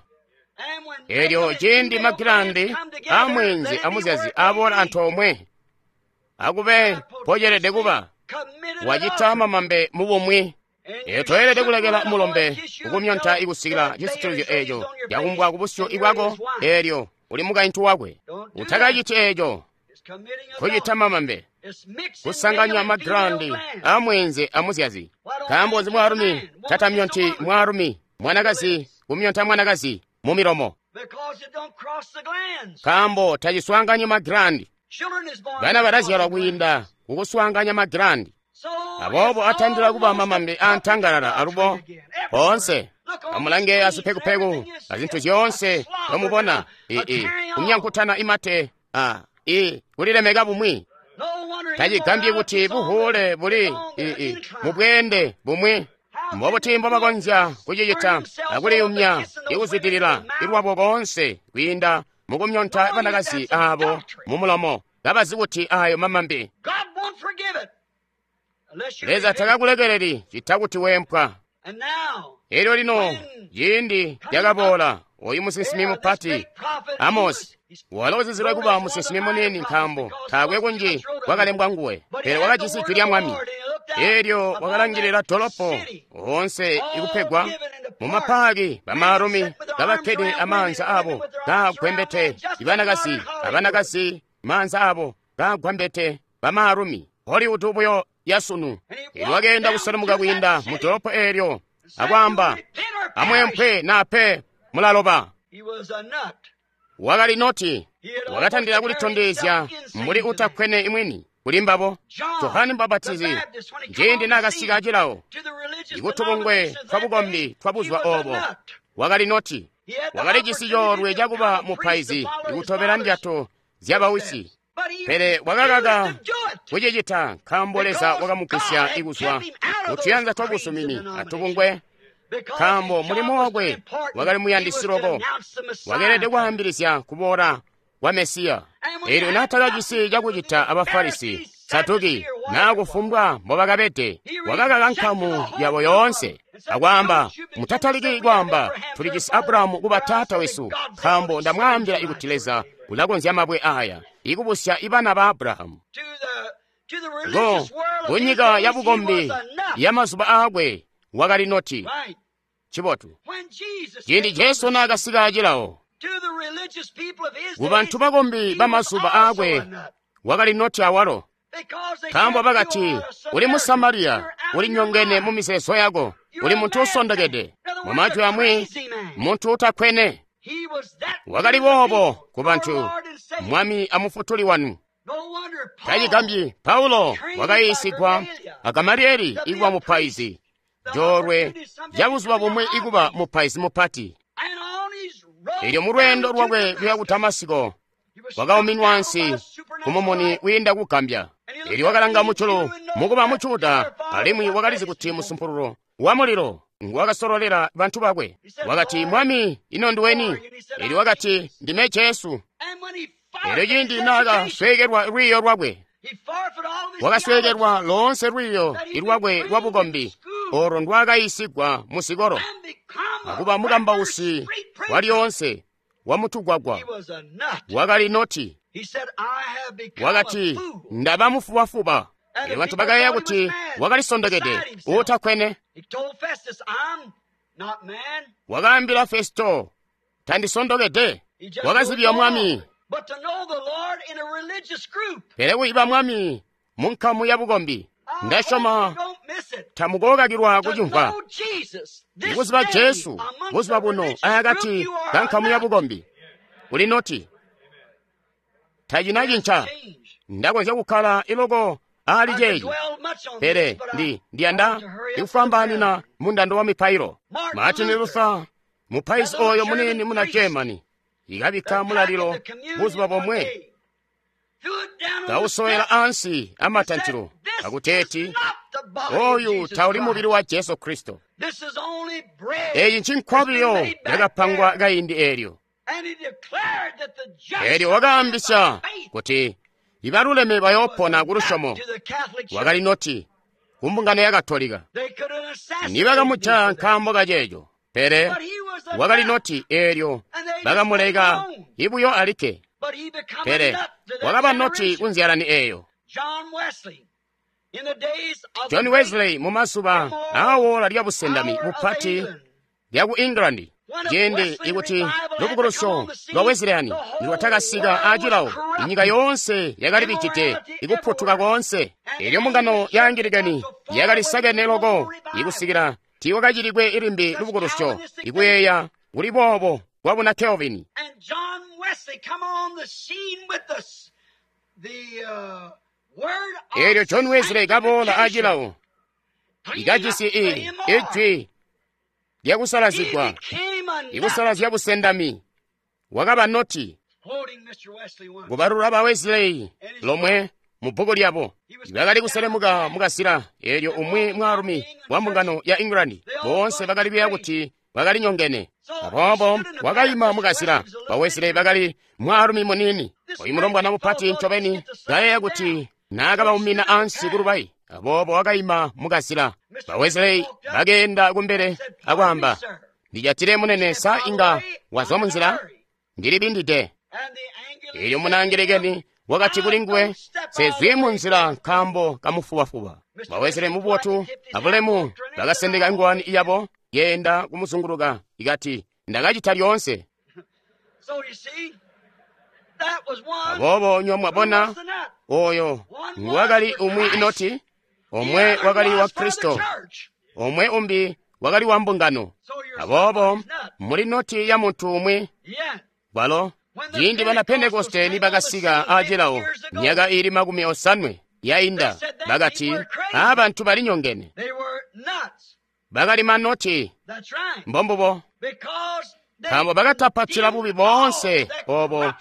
S1: Eelyo ciindi magilandi aamweenze amuzyazi aboola antoomwe, akube mpocelede kuba, wacita mamambe mubumwi. Eyo toyelede kulekela mulombe kukumyonta ikusikila cisitilizyo eeco cakumbwa kubusyu bwako, eelyo uli mukaintu wakwe. Utakaciti eeco, kucita mamambe, kusanganya magilandi aamweenze amuzyazi. Nkaambo nzi mwaalumi tatamyonti mwaalumi, mwanakazi kumyonta mwanakazi mumilomo? Nkaambo taciswaanganyi magilandi. Bana balazyalwa kwiinda kukuswaanganya magilandi. Aboobo atandila kuba mamambe antangalala alubo oonse. Amulange azipekupeku azintu zyoonse nomubona kumyankutana imate kulilemeka bumwi. Tacigambyi kuti buhuule buli mubweende bumwi. Mbobuti mbobakonzya kucicita akuliyumya ikuzwidilila ilwabo boonse kwiinda mukumyonta banakazi aabo mumulomo, kabazi kuti ayo mamambe. Leza takakulekeleli cita kuti weempwa. Elyo lino ciindi lyakaboola oyu musinsimi mupati Amosi, walo uzizilwe kuba musinsimi muniini nkaambo taakwe kunji kwakalembwa nguwe, pele wakajisi jwi lya Mwami. Elyo wakalangilila dolopo oonse ikupegwa mumapaaki, bamaalumi kabakkede amaanza abo kagwembete ibanakazi, abanakazi maanza abo kagwambete bamaalumi, Hollywood buyo yasunu. Elyo wakeenda kuselemuka kwiinda mu dolopo eelyo akwaamba, amweempwe naa pe mulaloba. Wakali noti wakatandila kulitondezya mbuli utakkwene imwini kuli mbabo. Johane Mubapatizi ciindi naakasika acilawo ikutubungwe twabukombi twabuzuba oobo, wakali noti wakalijisi coolwe cakuba mupaizi ikutobela ndyato zyabawisi, pele wakakaka kucicita nkaambo Leza wakamugwisya kuzwa mutuyanza twabusumini atubungwe, nkaambo mulimo wakwe wakali muyandisi loko, wakeelede kwaambilizya kuboola kwa Mesiya. Eelyo naatakajisi cakucita aba Farisi, Saduki, naa kufumbwa mbobakabede, wakakaka nkamu yabo yoonse akwaamba, mutataliki kwaamba tulijisi Abulahamu kuba taata wesu, nkaambo ndamwaambila kuti Leza ulakonzya mabwe aaya ikubusya ibana ba Abulahamu. Go kunyika yabukombi yamazuba aakwe wakali noti cibotu. Ciindi Jesu naakasika acilawo, kubantu bakombi bamazuba aakwe wakali noti awalo, nkaambo bakati, uli mu Samariya, uli nyongene mu mizeezo yako, uli muntu usondokede. Mumajwi amwi, muntu utakkwene. Wakali boobo kubantu, Mwami amufutuli wanu. Tacigambyi Paulo wakayiisigwa a Gamalieli ikuba mupaizi, coolwe cabuzuba bumwi ikuba mupaizi mupati. Elyo mulweendo lwakwe kuya ku Damasiko, wakauminwa ansi kumumuni wiinda kugambya. Elyo wakalanga mujulu mukuba mu Juda, alimwi wakalizi kuti musumpululo wa mulilo nguwakasololela bantu bakwe. Wakati, Mwami, ino nduweni? Elyo wakati, ndime Jesu. Elyo ciindi naakasweekelwa lwiiyo lwakwe, wakasweekelwa loonse lwiiyo lwakwe lwabukombi olo ndwaakayiisigwa mu zikolo, akuba mukambausi walyoonse wamutugwagwa. Wakali noti. Wakati, ndaba mufubafuba. Elyo bantu bakayeeya kuti wakalisondokede, uutakkwene. Wakaambila Festo, tandisondokede. Wakazibya Mwami. Pele kuyiba Mwami munkamu yabukombi, ndasyoma tamukokakilwa kucimvwa. Ikuziba Jesu buzuba buno akati kankamu yabukombi, uli noti tacina cinca. Ndakonzya kukkala iloko ali ceeci, pele ndiyanda ikufwambaanina mundando wa mipailo. Martin Luther, mupaizi oyo munini muna Germany, ikabikka mulalilo buzuba bomwe, kawusowela ansi amatantilo akuteeti, oyu tauli mubili wa Jesu Kristo. Eeci ncinkwabilio yakapangwa kaindi eelyo. Eelyo wakaambisya kuti ibaluleme bayoopona kulusyomo. Wakali noti kumbungano ya Katolika. Nibakamujaya nkaambo kaceeco, pele wakali noti eelyo bakamuleka ibuyo alikke. Pele wakaba noti kunzyalani eeyo. John Wesley mumazuba aawola lyabusendami bupati lyaku England, ciindi ikuti lubukulusyo lwa Wesleyani nilwatakasika acilawo, inyika yoonse yakalibijide ikuputuka koonse. Elyo mbungano ya Angilikani yakalisakene loko ikusikila tiiwakacilikwe ilimbi lubukulusyo ikuyeeya kuli boobo kwabuna Calvin. Elyo John Wesley kaboola acilawo ikajisi ijwi lyakusalazigwa, ikusalazya busendami. Wakaba noti kubalula ba Wesley lomwe mu bbuku lyabo. Bakali kuselemuka mukazila, eelyo umwi mwaalumi wa mbungano ya England, boonse bakali kuyeeya kuti bakali nyongene. Aboobo wakayima mukazila, ba Wesley bakali mwaalumi munini, oyu mulombwana mupati ncobeni, kayeeya kuti naakabaumina ansi kulubayi. Aboobo wakayima mukazila. Ba Wesley bakeenda kumbele akwaamba, ndijatile munene, sa inga wazwa munzila? Ndilibindide. Elyo munangelekeni wakati kuli nguwe, sezwi munzila nkaambo kamufubafuba. Ba Wesley mubotu abulemu bakasendeka ngwani yabo yeenda kumuzunguluka, ikati, ndakacita lyoonse. Aboobo nywa mwabona, Oyo wakali umwi inoti, omwe wakali wa Kristo, omwe umbi wakali wa mbungano. Aboobo muli noti ya muntu umwi bwalo ciindi bana Pentekoste nibakasika aacilawo myaka iili 50 yainda, bakati aabantu balinyongene, bakali manoti. Mbombubo, nkaambo bakatapatila bubi boonse obo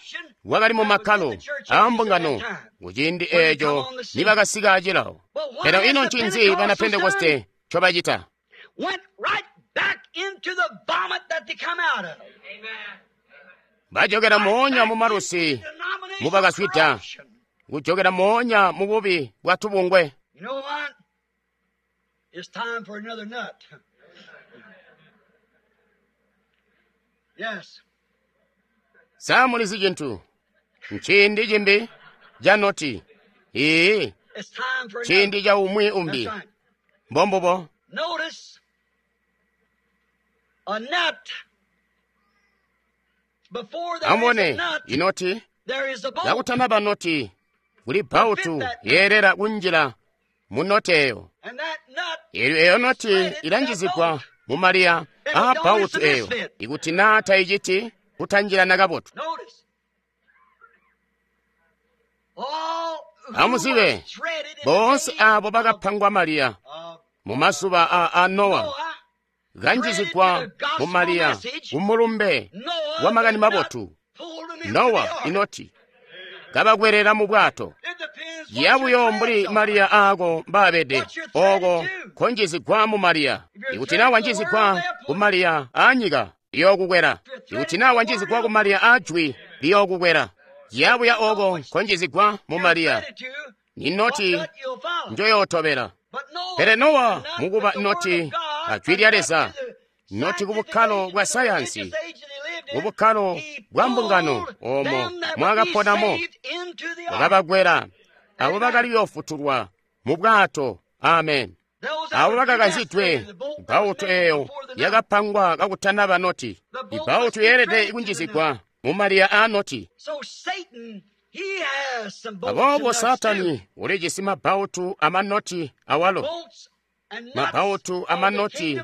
S1: bwakali mu makkalo aambungano kuciindi eeco nibakasika acilawo. Pele ino ncinzi bana Pentekoste ncobacita? Bajokera moonya mu malusi mubakaswida, kujokera moonya mu bubi bwa tubungwe. Sa mulizi cintu? Nciindi cimbi ca noti. Ii, ciindi ca umwi umbi. Mbombubo. Amubone inoti, kakutanaba noti, kuli bbautu yeelela kunjila mu noti eyo. Eelyo eyo noti ilanjizigwa mu maliya aa bbautu eyo, ikuti naa tayiciti kutanjilana kabotu. Amuzibe, boonse aabo bakapangwa maliya mu mazuba a Nowa, kanjizigwa mu maliya kumulumbe wa makani mabotu. Nowa inoti kabakwelela mu bwato, yabuyo mbuli maliya aako mbaabede, ooko konjizigwa mu maliya. Ikuti naa wanjizigwa ku maliya aanyika, liyookukwela. Ikuti naa wanjizigwa ku maliya aajwi, liyookukwela. Yabuya ooko konjizigwa mu maliya, ni noti njoyootobela. Pele Nowa mukuba noti ajwi lya Leza, noti ku bukkalo bwa sayansi, ku bukkalo bwa mbungano oomo mwakaponamo, wakabakwela abo bakali kuyoofutulwa mu bwato. Amen. Abo bakakanzidwe, bbautu eyo yakapangwa kakutanaba noti. Ibbautu yeelede kunjizigwa mu maliya aa noti. Aboobo Saatani ulijisi mabbautu amanoti awalo, mabbautu amanoti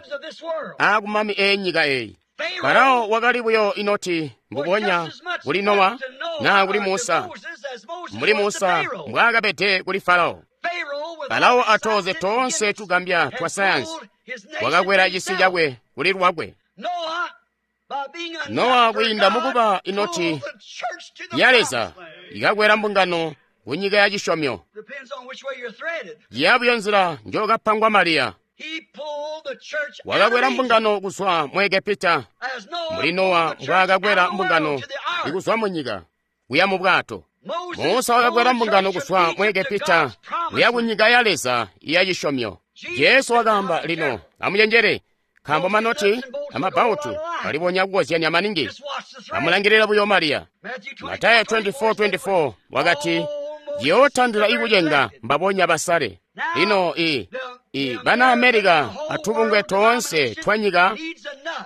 S1: aakumami eenyika eyi. Farao wakali buyo inoti mbubonya kuli Nowa naa kuli Musa, mbuli Musa mbwaakabede kuli Farao. Farao atooze toonse tugambya twa sayansi, wakakwela cisi cakwe kuli lwakwe. Nowa kwiinda mukuba inoti ya Leza ikakwela mbungano kunyika ya cisyomyo. Yabuyo nzila njokapangwa Mariya, wakakwela mbungano kuzwa mu Egepita, mbuli Nowa mbwaakakwela mbungano ikuzwa mu nyika kuya mu bwato. Musa wakakwela mbungano kuzwa mu Egepita kuya ku nyika ya Leza ya cisyomyo. Jesu wakaamba, lino amucenjele, nkaambo manoti amabbautu alibonya kukozyanya maningi. Amulangilila buyo Mariya. Matayo 24:24 wakati, yootandila ikucenga mbabonya basale. Lino bana Amerika atubungwe toonse twa nyika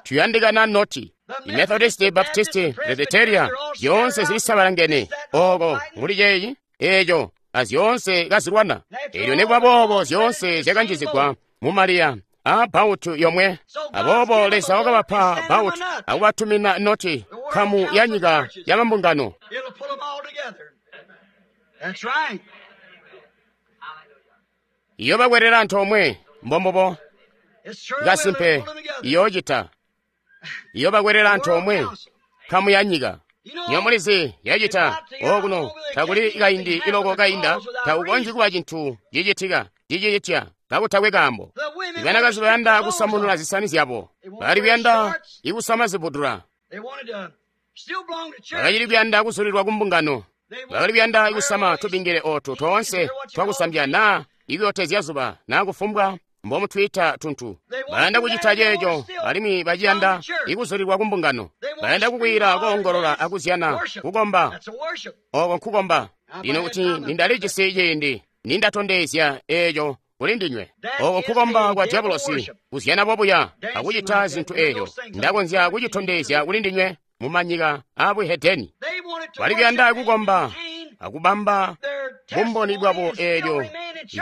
S1: tuyandikana noti. Methodist, Baptist, Presbyteria zyoonse zilisabalangene oko muli ceeyi eeco azyoonse kazilwana. Eelyo nikuba boobo zyoonse zyakanjizigwa mu Mariya a bbautu yomwe. Aboobo Leza wakabapa bbautu akubatumina noti, nkamu ya nyika ya mambungano. Iyobakwelela antoomwe, mbombubo, kasimpe iyoocita. Iyobakwelela antoomwe, nkamu ya nyika. Nyomulizi yacita okuno takuli kaindi iloko kainda, takukonzyi kuba cintu cicitika cicicitya kakutakwe kaambo. Ibanakazi bayanda kusamunula zisani zyabo, bali kuyanda ikusama zibudula, bakacili kuyanda kuzulilwa ku mbungano, bakali kuyanda kusama tubingile ootu toonse twakusambya naa ikuyotezya zuba naa kufumbwa mbomutwiita tuntu. Bayanda kucita ceeco alimwi baciyanda ikuzulilwa ku mbungano. Bayanda kukwiila, koongolola akuzyana, kukomba. Oko nkukomba. Lino kuti nindalijisi ciindi nindatondezya eeco kuli ndinywe. Oko nkukomba kwa diabolosi, kuzyana bobuya akucita zintu eeco. Ndakonzya kucitondezya kuli ndinywe mu manyika aabuhedeni. Bali kuyanda kukomba akubamba bumboni bwabo eelyo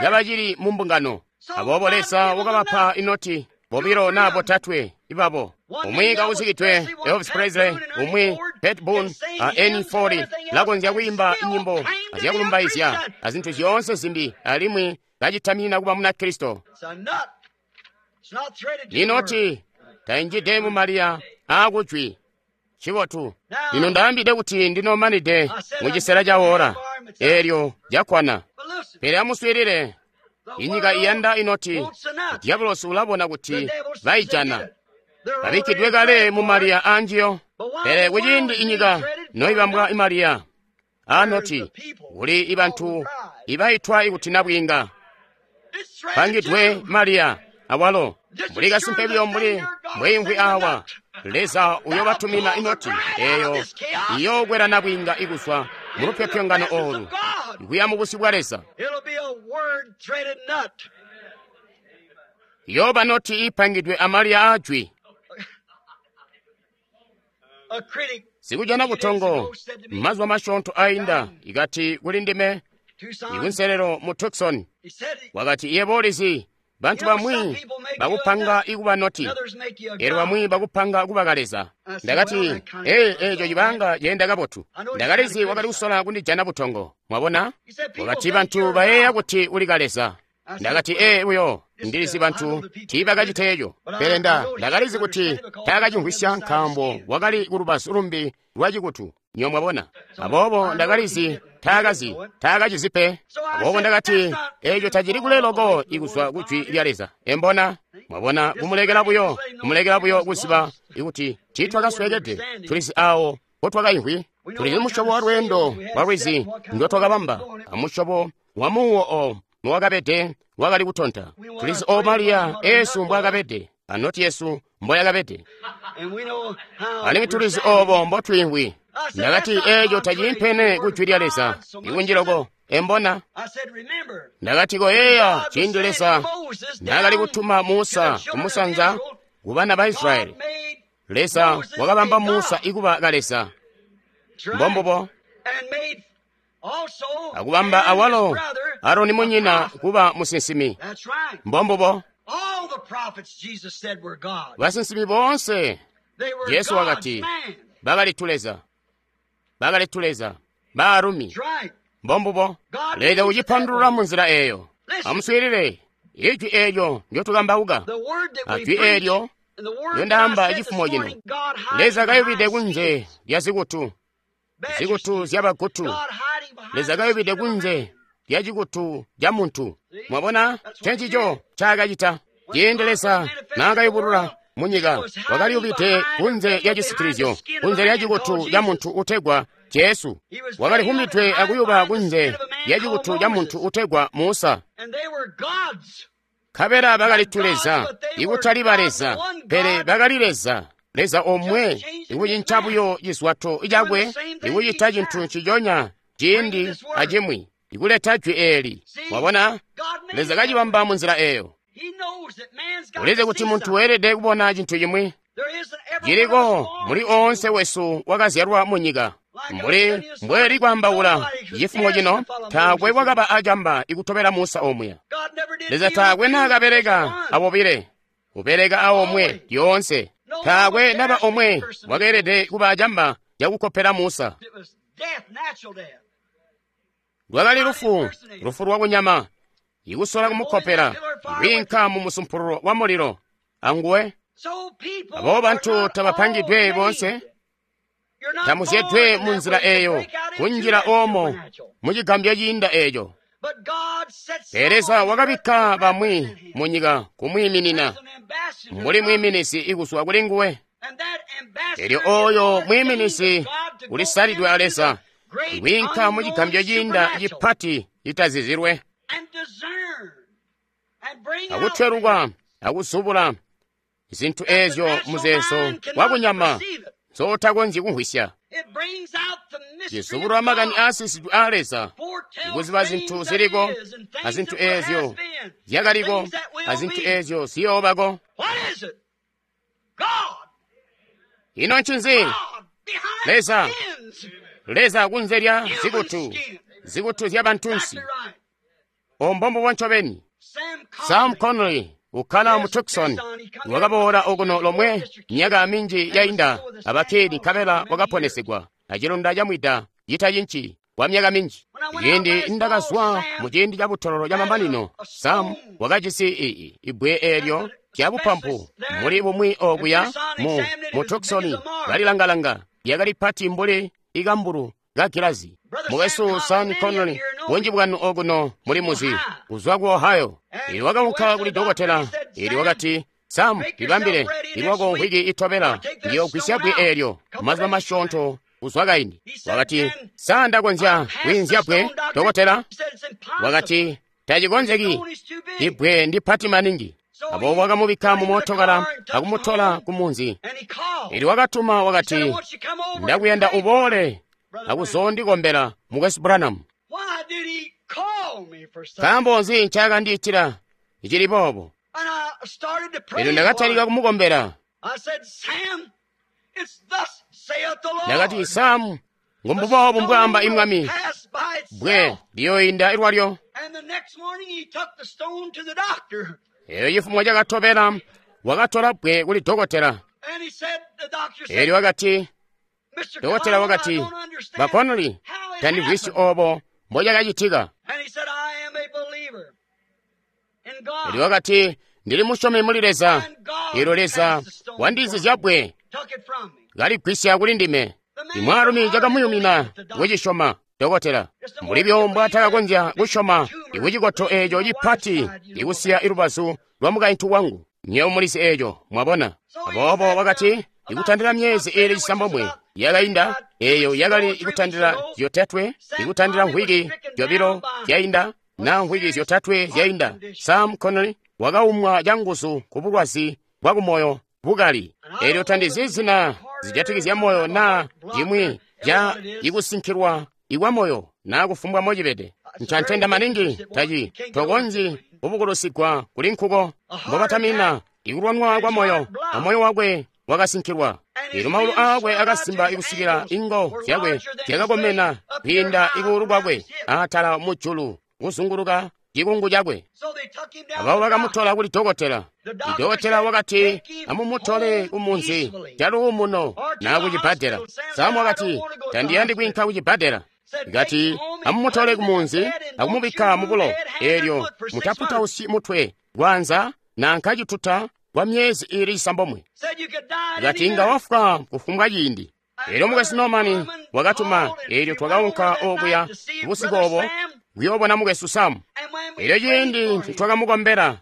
S1: kabacili mu mbungano. Aboobo Leza wakabapa inoti bobilo naa botatwe ibabo, umwi kauzikidwe Elvis Presley, umwi Pat Boone a Ernie Ford, lakonzya kwiimba nyimbo azyakulumbaizya azintu zyoonse zimbi, alimwi kacitaminina kuba Munakristo. Inoti tainjide mu maliya aakujwi. Cibotu. Lino ndaambide kuti ndinomanide mu cisela ca ora eelyo lyakwana. Pele amuswiilile, inyika iyanda inoti. Diabolosi ulabona kuti baijana, babikkidwe kale mu maliya aanjiyo. Pele kuciindi inyika noibambwa imaliya aanoti, kuli ibantu ibaitwa ikuti nabwiinga pangidwe maliya awalo. Mbuli kasimpe buyo mbuli mbweimvwi awa, Leza uyobatumina inoti eyo iyookwela nabwiinga ikuzwa mu lupyopyongano oolu kuya mu busyu bwa Leza. Iyooba noti iipangidwe amaliya aajwi. Sikujana butongo mazuba masyoonto ainda ikati kuli ndime ikunselelo mu Tucson, wakati, yebo ulizi, bantu bamwi bakupanga ikuba noti, elyo bamwi bakupanga kuba kaleza. Ndakati, ee, eeco cibanga ceenda kabotu. Ndakalizi wakali kusola kundijana butongo. Mwabona? Wakati, bantu bayeeya kuti uli kaleza. Ndakati, ee, buyo ndilizi bantu tiibakacita eco. Pele ndakalizi kuti taakacimvwisya nkaambo wakali ku lubazu lumbi lwa cikutu. Nyo mwabona? Aboobo ndakalizi taakacizi pe. Aboobo ndakati, eeco tacili kule loko ikuzwa ku jwi lya Leza. Embona? Mwabona, kumulekela buyo kuziba ikuti tiitwakasweekede. Tulizi awo mpotwakaimvwi. Tulizi musyobo wa lweendo lwa lwizi ndotwakabamba, amusyobo wa muuwo o mowakabede wakali kutonta. Tulizi o maliya eesu mbwaakabede, anoti yesu mboyakabede, alimwi tulizi obo mbotwiimvwi. Ndakati, eeco tacilimpene ku jwi lya Leza ikunjiloko. Embona? Ndakati, koyeeya ciindi Leza naakali kutuma Musa kumusanza ku bana ba Israyeli, Leza wakabamba Musa ikuba kaleza. Mbombubo. Akubamba awalo Aroni munyina kuba musinsimi. Mbombubo. Basinsimi boonse, Jesu wakati, bakali tuleza. Bakali tuleza. Baalumi. Mbombubo. Leza ucipandulula mu nzila eeyo. Amuswiilile, ijwi eelyo ndyotukambauka, ajwi eelyo lyondaamba cifumo cino. Leza kayubide kunze lya zikutu, zikutu zyabagutu. Leza kayubide kunze lya cikutu ca muntu. Mwabona, ncencico ncaakacita. Ciindi Leza naakayubulula munyika, wakaliyubide kunze lya cisitilizyo, kunze lya cikutu ca muntu utegwa Jesu. Wakalivumbidwe akuyuba kunze lya cikutu ca muntu utegwa Musa. Nkabela bakali tuleza, ikutali baleza, pele bakali Leza. Leza omwe, ikucinca buyo cizwato cakwe, ikucita cintu nciconya ciindi acimwi, ikuleta jwi eeli. Mwabona, Leza kacibamba mu nzila eeyo. Ulizi kuti muntu weelede kubona cintu cimwi. Ciliko muli oonse wesu wakazyalwa mu nyika. Mbuli mbweli kwaambaula cifumo cino, taakwe wakaba acamba ikutobela Musa omuya. Leza taakwe naakabeleka abobile, ubeleka aomwe lyoonse. Taakwe naba omwe wakeelede kuba acamba cakukopela Musa. Lwakali lufu, lufu lwakunyama, ikusola kumukopela, kwiinka mu musumpululo wa mulilo anguwe. Aboobo bantu tabapangidwe boonse, tamuzyedwe mu nzila eeyo, kunjila oomo mu cigambyo ciinda eeco. Pele Leza wakabikka bamwi mu nyika kumwiiminina, mbuli mwiiminizi ikuzwa kuli nguwe. Elyo ooyo mwiiminizi ulisalidwe a Leza, kwiinka mu cigambyo ciinda cipati citazizilwe, akutweluka akuzubula zintu eezyo muzeezo wakunyama nzootakonzyi kumvwisya. Cizubulula makani aasisidwe aa Leza, ikuziba zintu ziliko, azintu eezyo zyakaliko, azintu eezyo ziyoobako. Ino ncinzi? Leza, Leza kunze lya zikutu zikutu zya bantunsi. Ombombo ncobeni. Sam Connolly ukkala mu Tucson wakaboola okuno lomwe myaka minji yainda abakeli nkabela wakaponesegwa acilonda camwida citacinci kwa myaka minji. Ciindi ndakazwa mu ciindi ca butololo ca mamanino, Sam wakajisi ibbwe eelyo lya bupampu muli bumwi okuya mu Tucson kalilangalanga lyakali pati mbuli ikambulu ka gilazi. Mukwesu Sam Connolly, bunji bwanu okuno muli muzi, kuzwa ku Ohio. Ili wakaunka kuli dokotela, ili wakati, Sam, libambile, ilwako mvwiki itobela, ndiyogwisya bbwe eelyo, mazuba masyoonto kuzwa kaindi. Wakati, sa ndakonzya kwiinzya bbwe, dokotela? Wakati, tacikonzeki, ibbwe ndi pati maningi. Aboobo wakamubikka mu mootokala akumutola ku munzi. Ili wakatuma wakati, ndakuyanda uboole akuzondikombela Mukwesu Branham. Nkaambo nzi ncakandiitila cili boobo? Elyo ndakatalika kumukombela. Ndakati, Sam, ngumbuboobu mbwaamba imwami, bbwe liyooinda lwalyo. Elyo cifumo cakatobela wakatola bbwe kuli dokotela. Elyo wakati, dokotela wakati, ba Connolly, tandimvwisyi obo mbocakacitika. Elyo wakati, ndili musyomi muli Leza. Elyo Leza wandizizya bbwe kaligwisya kuli ndime. Imwaalumi cakamuyumina kucisyoma dokotela, mbuli byo mbwaatakakonzya kusyoma ikucikoto eeco cipati ikusiya ilubazu lwa mukaintu wangu. Nywebo mulizi eeco, mwabona. Aboobo wakati, ikutandila myezi iili cisambomwe yakainda, eeyo yakali ikutandila zyotatwe, ikutandila mvwiki zyobilo zyainda, na mvwiki zyotatwe zyainda, Sam Connolly wakaumwa canguzu ku bulwazi bwa kumoyo bukali. Eelyo tandizi zina zijatikizya moyo naa cimwi ca ikusinkilwa ikwa moyo naa kufumbwa mocibede. Ncantenda maningi taci tokonzyi kubukulusigwa kuli nkuko. Mbobatamina ikulwanwa kwa moyo, amoyo wakwe wakasinkilwa. Eelyo maulu aakwe akasimba ikusikila ingo zyakwe zyakakomena kwiinda ikuulu kwakwe atala mujulu kuzunguluka cikungu cakwe. Ababo bakamutola kuli dokotela. Idokotela wakati, amumutole kumunzi caluumuno naa kucibbadela. Sam wakati, tandiyandi kwiinka kucibbadela. Kati, amumutole kumunzi akumubikka mubulo, eelyo mutaputausyi mutwe kwanza nanka cituta kwa myezi iili cisambomwe. Kati inga wafwa kufumbwa ciindi. Eelyo mukwesu Norman wakatuma, eelyo twakaunka okuya busiku obo kuyoobona mukwesu Sam. Eelyo ciindi ncitwakamukombela,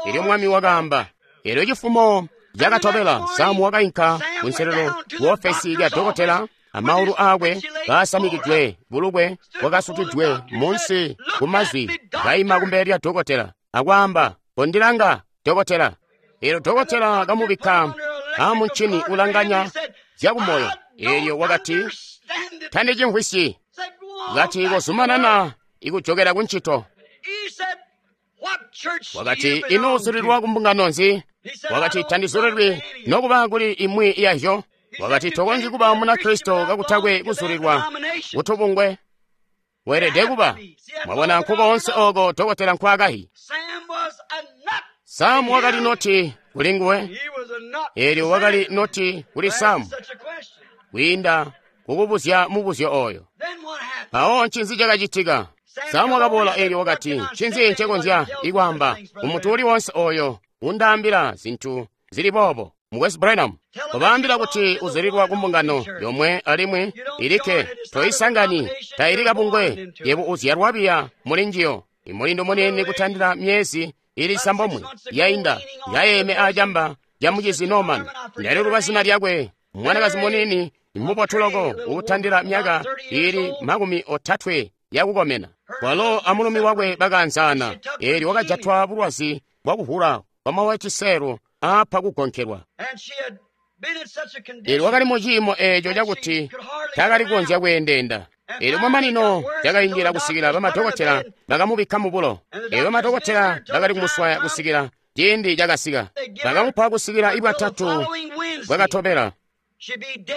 S1: eelyo Mwami wakaamba. Eelyo cifumo cakatobela, Sam wakainka kunselelo kuofesi lya dokotela, amaulu aakwe kaasamikidwe bulukwe bwakasukidwe munsi kumazwi, kaima kumbele lya dokotela akwaamba, kondilanga dokotela. Eelyo dokotela kamubikka amuncini ulanganya zyakumoyo. Eelyo wakati, tandicimvwisyi. Kati kozumanana ikujokela kuncito. Wakati, ino uzulilwa kumbungano nzi? Wakati, tandizulilwi nokuba kuli imwi yazyo. Wakati, tokonzyi kuba Munakristo kakutakwe kuzulilwa kutubungwe. Weelede kuba. Mwabona nkukoonse oko dokotela nkwaakahi. Sam wakali noti kuli nguwe. Eelyo wakali noti kuli Sam kwiinda kukubuzya mubuzyo oyo. Mpawo ncinzi cakacitika? Sam wakaboola eelyo wakati, ncinzi ncekonzya ikwaamba kumuntu uli wonse oyo undaambila zintu zili boobo? Mukwesu Branham, kobaambila kuti uzulilwa kumbungano yomwe alimwi ilikke, toisangani, taili kabungwe, yebo uzyalwa biya muli njiyo. Imulindu muniini kutandila myezi ili cisambomwe yainda, yayeeme acamba ca mucizi Norman. Ndaliluba zina lyakwe, mwanakazi muniini mubotu loko uutandila myaka ili 30 yakukomena. Walo amulumi wakwe bakaanzaana, eelyo wakajatwa bulwazi bwakuhula kwamawaciselo aapa kugonkelwa. Eelyo wakali mu ciimo eeco cakuti taakali kukonzya kweendeenda. Eelyo mamanino cakainjila kusikila bamadokotela bakamubikka mubulo. Eelyo bamadokotela bakali kumuswaya kusikila ciindi cakasika. Bakamupa kusikila ibwatatu bwakatobela.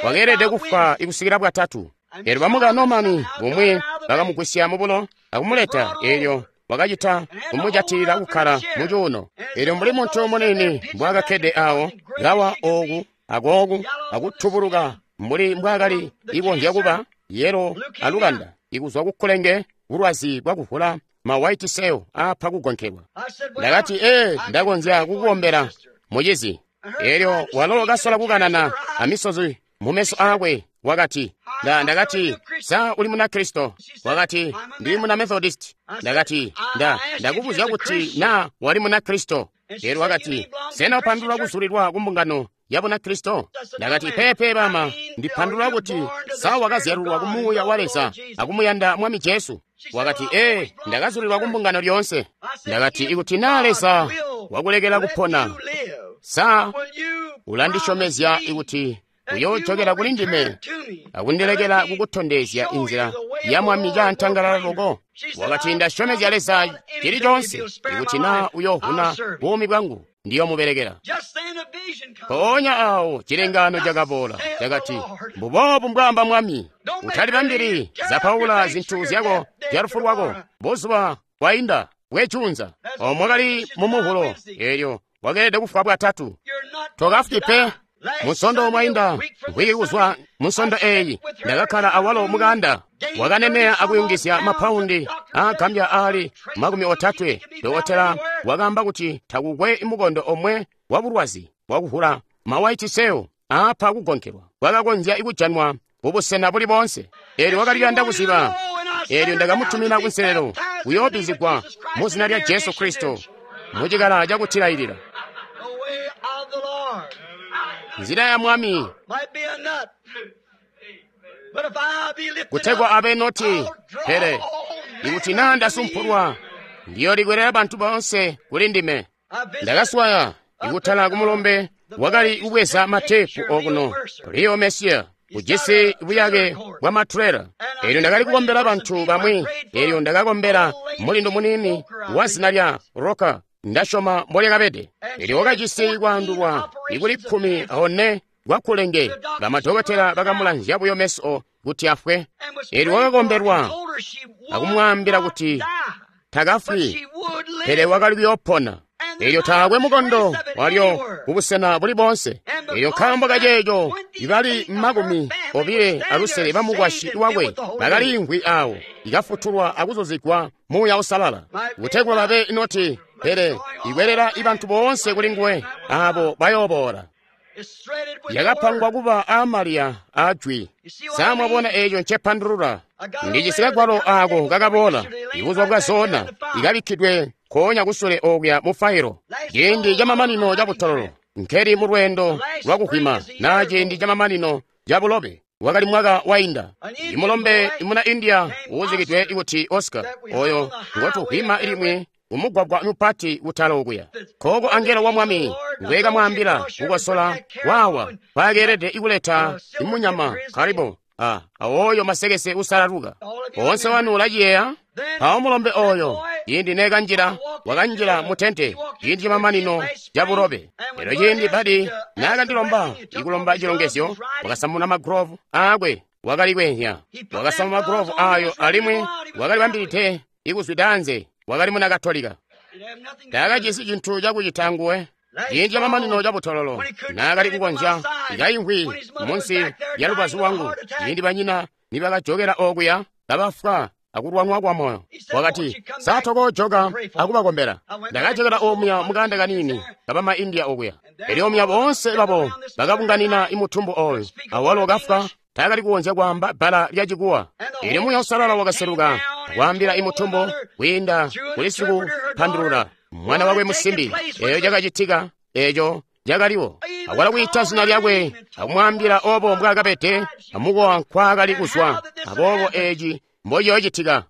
S1: Wakeelede kufwa ikusikila bwatatu. Elyo bamuka Norman bumwi bakamugwisya mubulo akumuleta, elyo wakacita kumujatilila kukkala mu cuuno. Elyo mbuli muntu muniini mbwaakakkede awo, kawa ooku akooku akutubuluka mbuli mbwaakali ikonzya kuba yelo alukanda ikuzwa kukkulenge, bulwazi bwakuvula ma white cell aapa kugonkelwa. Ndakati, ee, ndakonzya kukukombela, mucizi. Elyo walo kasola kukanana amisozi mumeso aakwe, wakati, ndakati, sa uli Munakristo? Wakati, ndi muna Methodist. Ndakati, ndakubuzya kuti na wali Munakristo. Elyo wakati, sena upandulula kuzulilwa ku mbungano ya Bunakristo? Ndakati, peepe bama, ndipandulula kuti sa wakazyalulwa ku Muuya wa Leza akumuyanda Mwami Jesu. Wakati, ee, ndakazulilwa ku mbungano lyoonse. Ndakati, ikuti na Leza wakulekela kupona, sa ulandisyomezya ikuti uyoojokela kuli ndime akundilekela kukutondezya inzila ya Mwami caantangalala loko? Wakati, ndasyomezya Leza cili conse, ikuti na uyoovuna buumi bwangu, ndiyomubelekela. Mpoonya awo cilengaano cakaboola, cakati, mbuboobu mbwaamba Mwami, utalibambili zapaula zintu zyako zya lufu lwako, buzuba bwainda bwejunza. Omwe kali mumuvulo, elyo wakeelede kufwa bwatatu. Tokafwi pe. Musondo mwainda, mvwiki kuzwa musondo eyi, ndakakkala awalo mukanda. Wakaneneya akuyungizya mapaundi aagambya aali 30. Dokotela wakaamba kuti takukwe mukondo omwe wa bulwazi bwakuvula ma white cell aapa kugonkelwa bwakakonzya kujanwa kubusena buli boonse. Elyo wakaliyanda kuziba. Elyo ndakamutumina kunselelo kuyoobizigwa mu zina lya Jesu Kristo mucikala cakutilailila. Nzila ya Mwami kutegwa abe noti, pele ikuti naa ndasumpulwa, ndiyolikwelera bantu boonse kuli ndime. Ndakaswaya ikutala kumulombe wakali kubweza matepu okuno, Leo Messier, ujisi buyake bwa matrela. Elyo ndakali kukombela bantu bamwi. Elyo ndakakombela mulindu muniini wa zina lya Roka, ndasyoma mbolyakabede. Elyo wakajisi kwaandulwa ikuli 14 kwakulenge. Bamadokotela bakamulanzya buyo meso kuti afwe. Elyo wakakombelwa akumwaambila kuti takafwi, pele wakali kuyoopona. Elyo taakwe mukondo walyo kubusena buli boonse. Elyo nkaambo kaceeco ibali 25 bamukwasyi wakwe bakaliimvwi awo, ikafutulwa akuzuzigwa Muuya Uusalala, kutegwa babe noti, pele ikwelela ibantu boonse kuli nguwe aabo bayooboola. Yakapangwa kuba aamaliya aajwi. Sa mwabona eeco ncepandulula? Ndijisi kagwalo aako kakaboola ibuzuba bwa zona, ikabikkidwe nkoonya kusule okuya mu failo. Ciindi camamanino cabutololo, nkeli mu lweendo lwakuhwima, naa ciindi camamanino cabulobe, wakali mwaka wainda. Imulombe imuna India uuzikidwe kuti Oscar, oyo ngotuhwima limwi umugwagwa mupati kutala okuya. Koko angelo wa Mwami ngwekamwaambila kukosola wawa mpaakeelede ikuleta imunyama karibu awoyo masekese usalaluka. Onse wanu ulaciyeeya? Mpawo mulombe oyo, ciindi neekanjila, wakanjila mu tente ciindi camamanino cabulobe. Elyo ciindi Badi naakandilomba ikulomba cilongezyo, wakasamuna magulovu aakwe, wakali kweenya. Wakasama magulovu ayo alimwi wakalibambilide ikuzwida anze. Wakali muna Katolika. Taakajisi cintu cakucita nguwe. Ciindi camamanino cabutololo, naakali kukonzya ikaimvwi munsi lya lubazu lwangu, ciindi banyina nibakajokela okuya kabafwa akulwanwa kwa moyo. Wakati, sa tokoojoka akubakombela? Ndakajokela omuya mukanda kaniini kabama India okuya. Elyo omuya boonse babo bakabunganina imutumbu oyo, awalo kafwa taakali kukonzya kwaamba bbala lya Chikuwa. Elyo Muuya Uusalala wakaseluka akwaambila imutumbu kwiinda kuli sikupandulula mwana wakwe musimbi. Eyo cakacitika, eco cakaliwo. Akwala kwiita zina lyakwe akumwaambila obo mbwaakabede amukowa nkwaakali kuzwa, aboobo eci mbociyoocitika.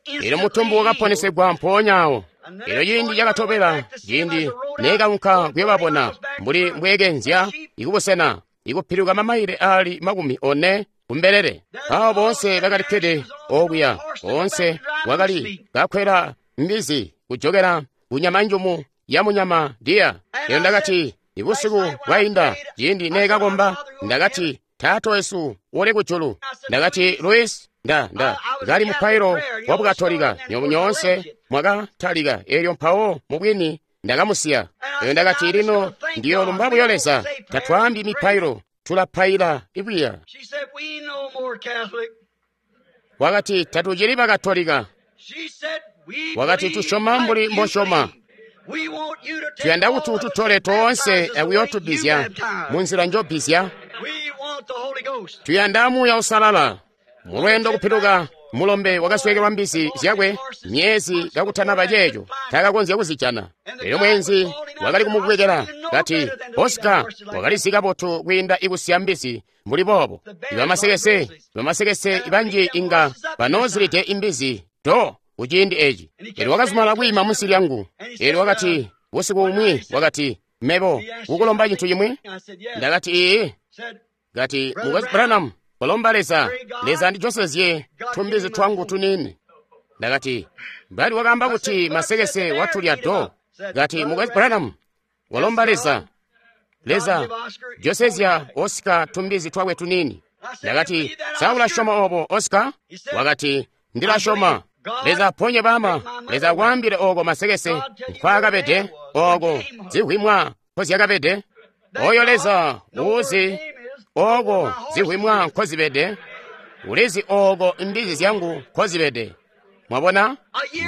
S1: Elyo mutumbu wakaponesegwa mpoonya awo. Elyo ciindi cakatobela, ciindi neekaunka kuyobabona mbuli mbweekenzya ikubusena ikupiluka mamaile aali 40 kumbelele. Aabo boonse bakalikkede okuya, boonse wakali kakwela mbizi kujokela kunyama njumu ya munyama diya. Elyo ndakati, ibusiku bwainda ciindi neekakomba, ndakati, Taata wesu uli kujulu. Ndakati, Luis, nda kali mupailo wa Bukatolika, nyoonse mwakatalika, elyo mpawo mubwini ndakamusiya. Elyo ndakati, lino ndiyolumba buyo Leza, tatwaambi mipailo, tulapaila ibwiya. Wakati, tatucili Bakatolika. Wakati, tusyoma mbuli mbosyoma. Tuyanda kuti ututole toonse akuyootubizya munzila njobizya. Tuyanda Muuya Uusalala. Mulweendo kupiluka, mulombe wakasweekelwa mbizi zyakwe myezi kakutanaba ceeco, taakakonzya kuzijana. Elyo mweenzi wakali kumubwekela kati, Oscar wakalizi kabotu kwiinda ikusiya mbizi mbuli boobo. Bamasekese banji inga banoozilide imbizi do kuciindi eci. Elyo wakazumala kwiima munsi lyangu. Elyo wakati, busiku bumwi wakati, mebo kukulomba cintu cimwi? Ndakati, iiyi. Kati, Mukwesu Branham, kolomba Leza, Leza andijosezye tumbizi twangu tuniini. Ndakati, mbali wakaamba kuti masekese watulya do. Kati, Mukwesu Branham, kolomba Leza, Leza josezya Oscar tumbizi twakwe tuniini. Ndakati, sa ulasyoma obo, Oscar? Wakati, ndilasyoma. Leza aponye bama, Leza akwaambile oko masekese nkwaakabede, oko zihwimwa nkozyakabede. Oyo Leza uuzi oko zihwimwa nkozibede, ulizi oko mbizi zyangu nkozibede. Mwabona,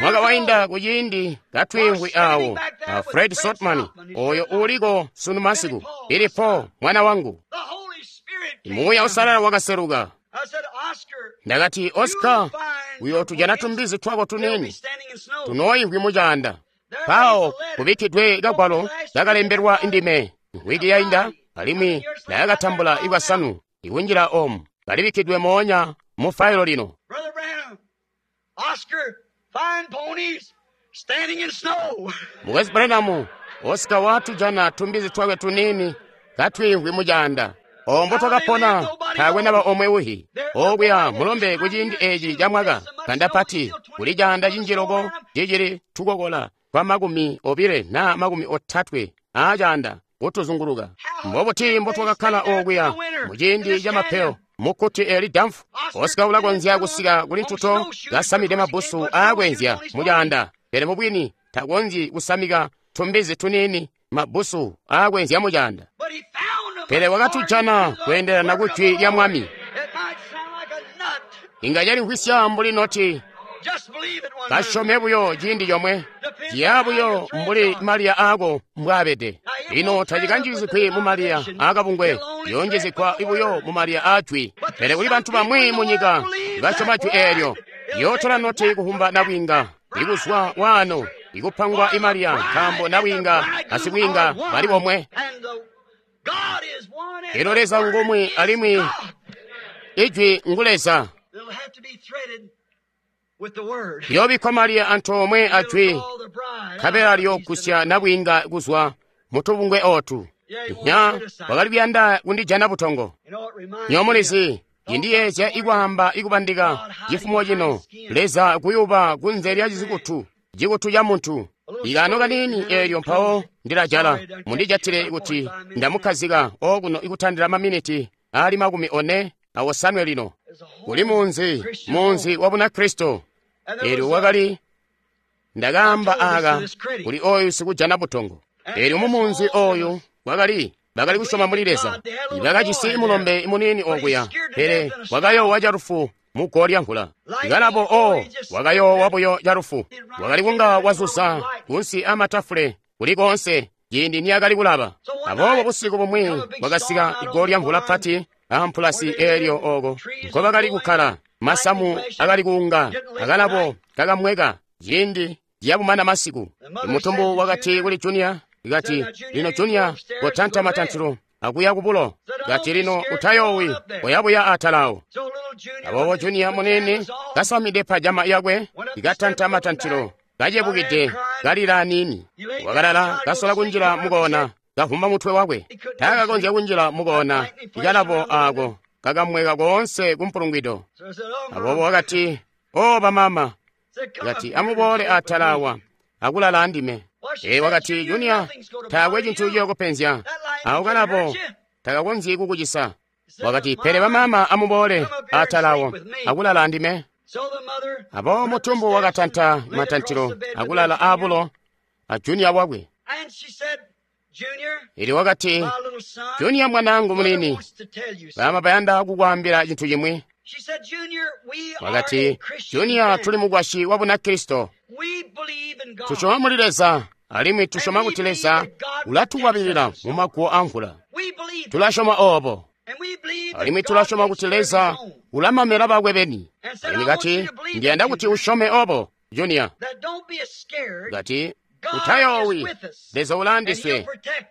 S1: mwaka wainda kuciindi katwiimvwi awo a Fred Sotman, oyo uliko sunu masiku, Billy Paul mwana wangu. Muuya Uusalala wakaseluka. Ndakati, Oscar, uyootujana tumbizi twako tuniini tunooimvwi mucaanda. Mpawo kubikkidwe kagwalo kakalembelwa ndime wiki yainda, alimwi ndakatambula ikwasanu ikunjila omu, kalibikkidwe moonya mu failo lino. Mukwesu Branham, Oscar watujana tumbizi twakwe tuniini katwiimvwi mucaanda. Ombo twakapona taakwe naba omwe uhi. Okuya mulombe kuciindi eci ca mwaka kandapati kuli caanda cinji loko cicili tukokola kwa 20 na 30 aacaanda kutuzunguluka. Mbobuti mbotwakakkala okuya muciindi ca mapeyo mukkuti eli damfu. Oscar ulakonzya kusika kuli ntuto kasamide mabbusu aakwenzya mucaanda, pele mubwini takonzyi kusamika tumbizi tuniini mabbusu aakwenzya mucaanda. Pele wakatujana kweendelana ku jwi lya Mwami. Inga calimvwisya mbuli noti, kasyome buyo ciindi comwe, ciya buyo mbuli maliya aako mbwaabede. Lino tacikanjizigwi mu maliya aakabungwe, yonjizigwa buyo mu maliya aajwi. Pele kuli bantu bamwi mu nyika basyoma jwi eelyo, yootola noti kuhumba nabwiinga, ikuzwa waano, ikupangwa imaliya, nkaambo nabwiinga asibwiinga bali bomwe. Elo Leza ngumwi alimwi ijwi ngu Leza. Liyoobikkwa maliya antoomwe ajwi, nkabela liyoogusya nabwiinga kuzwa mutubungwe ootu. Nya wakali kuyanda kundijana butongo. Nyomulizi, indiyeezya ikwaamba ikubandika cifumo cino, Leza kuyuba kunze lya cikutu, cikutu ca muntu. Ikaano kaniini eelyo mpawo ndilajala, mundijatile kuti ndamukkazika okuno ikutandila maminiti ali 45 lino. Kuli munzi wa Bunakristo. Eelyo wakali, ndakaamba aaka kuli oyu sikujana butongo. Eelyo mumunzi oyu wakali bakali kusyoma muli Leza. Bakajisi mulombe muniini okuya, pele wakayoowa calufu mu lya mvula. Ikalabo o wakayoowa buyo calufu. Wakali kunga wazuza kunsi amatafule kuli koonse ciindi niyakali kulaba. Aboobo busiku bumwi bwakasika igoo lya mvula pati ampulasi eelyo oko nkobakali kukkala, masamu akali kuunga, akalabo kakamweka ciindi ciyabumana masiku. Imutumbu wakati kuli Junior, kati, lino Junior, kotanta matantilo akuya kubulo. Kati, lino utayoowi, oyabuya atalawo. Aboobo Junior munene kasamide pajama yakwe, ikatanta matantilo, kacebukide, kalila aniini. Wakalala kasola kunjila mukoona, kavumba mutwe wakwe. Taakakonzya kunjila mukoona, ikalabo aako kakamweka koonse kumpulungwido. Aboobo wakati, o bamama, kati, amuboole atala awa akulala andime. Ee, wakati, Junior, taakwe cintu ciyokupenzya. Awo kalabo takakonzyi kukucisa. Wakati, pele bamaama amuboole atalawo akulala andime. Aboobo mutumbu wakatanta matantilo akulala aabulo a Junior wakwe. Elyo wakati, Junior mwanaangu muniini, baama bayanda kukwaambila cintu cimwi. Wakati, Junior, tuli mukwasyi wa Bunakristo. Tusyoma muli Leza, alimwi tusyoma kuti Leza ulatukwabilila mumaguwo amvula. Tulasyoma oobo. Alimwi tulasyoma kuti Leza ulamamela bakwe beni. Alimwi kati, ndiyanda kuti usyome oobo, Junior. Kati, utayoowi, Leza ulaandiswe,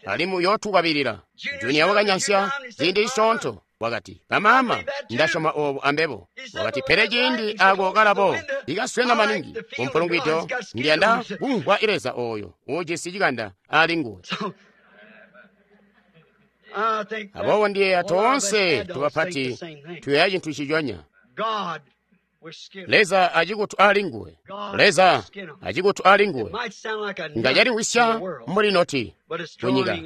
S1: alimwi uyootukwabilila. Junior wakanyansya ziindi zisyoonto. Wakati, bamaama, ndasyoma oobo ambebo. Wakati, pele ciindi ako kalabo ikaswena maningi kumpulungwido, ndiyanda kumvwa Leza ooyo uujisi cikanda ali nguwe. Aboobo ndiyeeya toonse tubapati tuyeeya cintu ciconya. Leza acikutu ali nguwe. Leza acikutu ali nguwe. Nga caliwisya mbuli noti kunyika,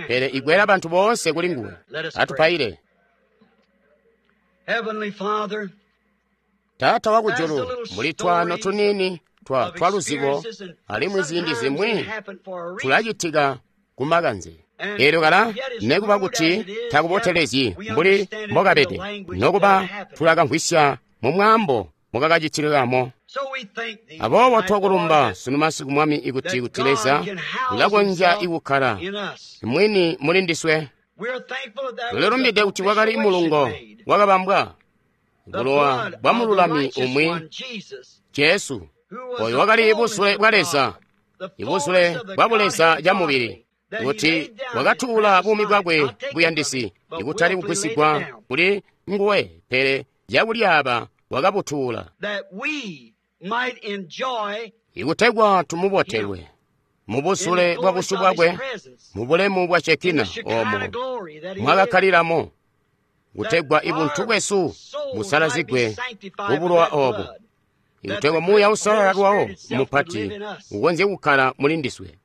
S1: pele ikwela bantu boonse kuli nguwe. Atupaile. Taata wakujulu, muli twaano tuniini twa luzibo, alimwi ziindi zimwi tulacitika kumakanze. Eelyo kala nekuba kuti takubotelezyi mbuli mbokabede, nokuba tulakamvwisya mu mwaambo mukakacitilamo. Aboobo twakulumba sunu masiku Mwami ikuti kuti Leza ulakonzya kukkala mwini muli ndiswe. Tulilumbide kuti kwakali mulungo wakabambwa, bulowa bwa mululami umwi, Jesu, oyo wakali busule bwa Leza, ibusule bwa buleza camubili, kuti wakatuula buumi bwakwe buyandisi, ikutali kugwisigwa kuli nguwe, pele cakulyaaba wakabutuula, ikutegwa tumubotelwe mubusule bwa busyu bwakwe, mu bulemu bwa Shekina oomo mwakakkalilamo, kutegwa ibuntu bwesu busalazigwe kubulowa oobo, ikutegwa Muuya Uusalala lwawo mupati ukonzye kukkala muli ndiswe.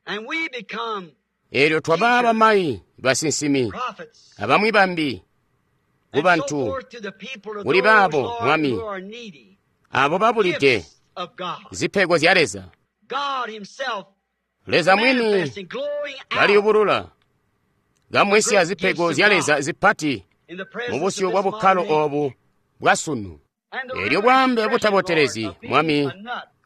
S1: Eelyo twaba bamayi, basinsimi, abamwi bambi kubantu, kuli baabo Mwami, abo babulide zipego zya Leza. Leza mwini kaliyubulula, kamwisya zipego zya Leza zipati mubusyu bwa bukkalo oobu bwa sunu. Eelyo bwaambe butabotelezi, Mwami,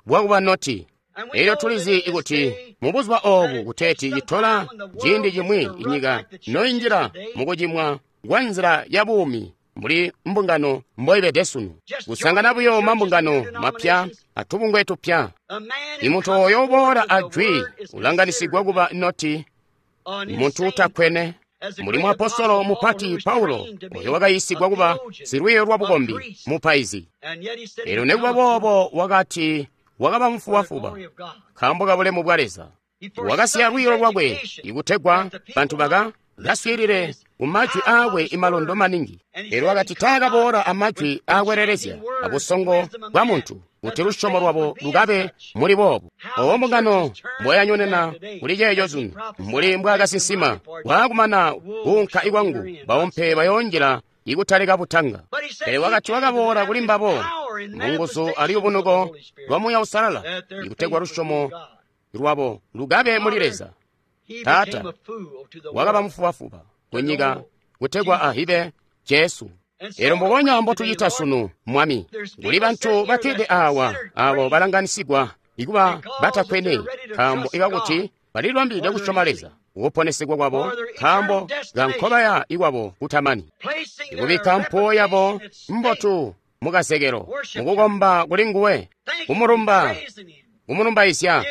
S1: bwakuba noti. Eelyo tulizi kuti mubuzuba oobu kuteeti citola ciindi cimwi inyika noinjila mukucimwa kwa nzila ya buumi mbuli mbungano mboibede sunu, kusangana buyo mambungano mapya atubungwe tupya. Imuntu ooyo uboola ajwi ulanganisigwa kuba noti, muntu utakkwene, mbuli muapostolo mupati Paulo oyo wakayiisigwa kuba silwiiyo lwa bukombi, mupaizi. Eelyo nekuba boobo wakati wakaba mufubafuba nkaambo ka bulemu bwa Leza. Wakasiya lwiiyo lwakwe ikutegwa bantu baka kaswiilile kumajwi aakwe imalondo maningi. Eelyo wakati taakaboola amajwi aakwelelezya abusongo bwa muntu, kuti lusyomo lwabo lukabe muli boobu. Obo mbungano mboyanyonena kuli ceeco sunu, mbuli mbwaakasinsima, waakumana kuunka ikwangu, baumpe bayoonjila ikutalika butanga. Pele wakati wakaboola kuli mbabo munguzu aliyubunuko lwa Muuya Uusalala, ikutegwa lusyomo lwabo lukabe muli Leza. Taata wakaba mufubafuba kunyika kutegwa ahibe Jesu. Eelyo mbubonya mbotucita sunu, Mwami, kuli bantu bakkede awa abo balanganisigwa ikuba batakkwene, nkaambo ikakuti balilibambilide kusyoma Leza kuponesegwa kwabo, nkaambo kankobaya ikwabo kutamani, ikubikka mpuwo yabo mbotu mukazekelo mukukomba kuli nguwe, kumulumba, kumulumbaizya,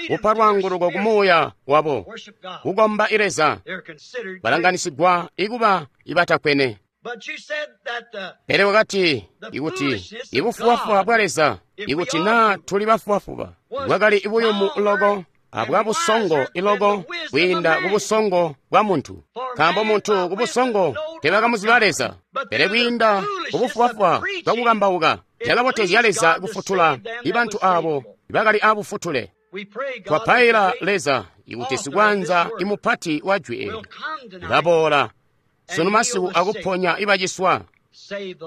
S1: kupa lwaanguluko kumuuya wabo, kukomba Leza, balanganisigwa ikuba ibatakkwene. Pele wakati ikuti ibufubafuba bwa Leza, ikuti naa tuli bafubafuba, bwakali buyumu loko abwabusongo iloko kwiinda kubusongo bwa muntu, nkaambo muntu kubusongo tebakamuziba Leza, pele kwiinda kubufubafuba bwakukambauka cakabotezya Leza kufutula ibantu abo bakali abufutule. Twapaila Leza ikuti sikwanza imupati wa jwi eli ulaboola sunu masiku akuponya ibaciswa,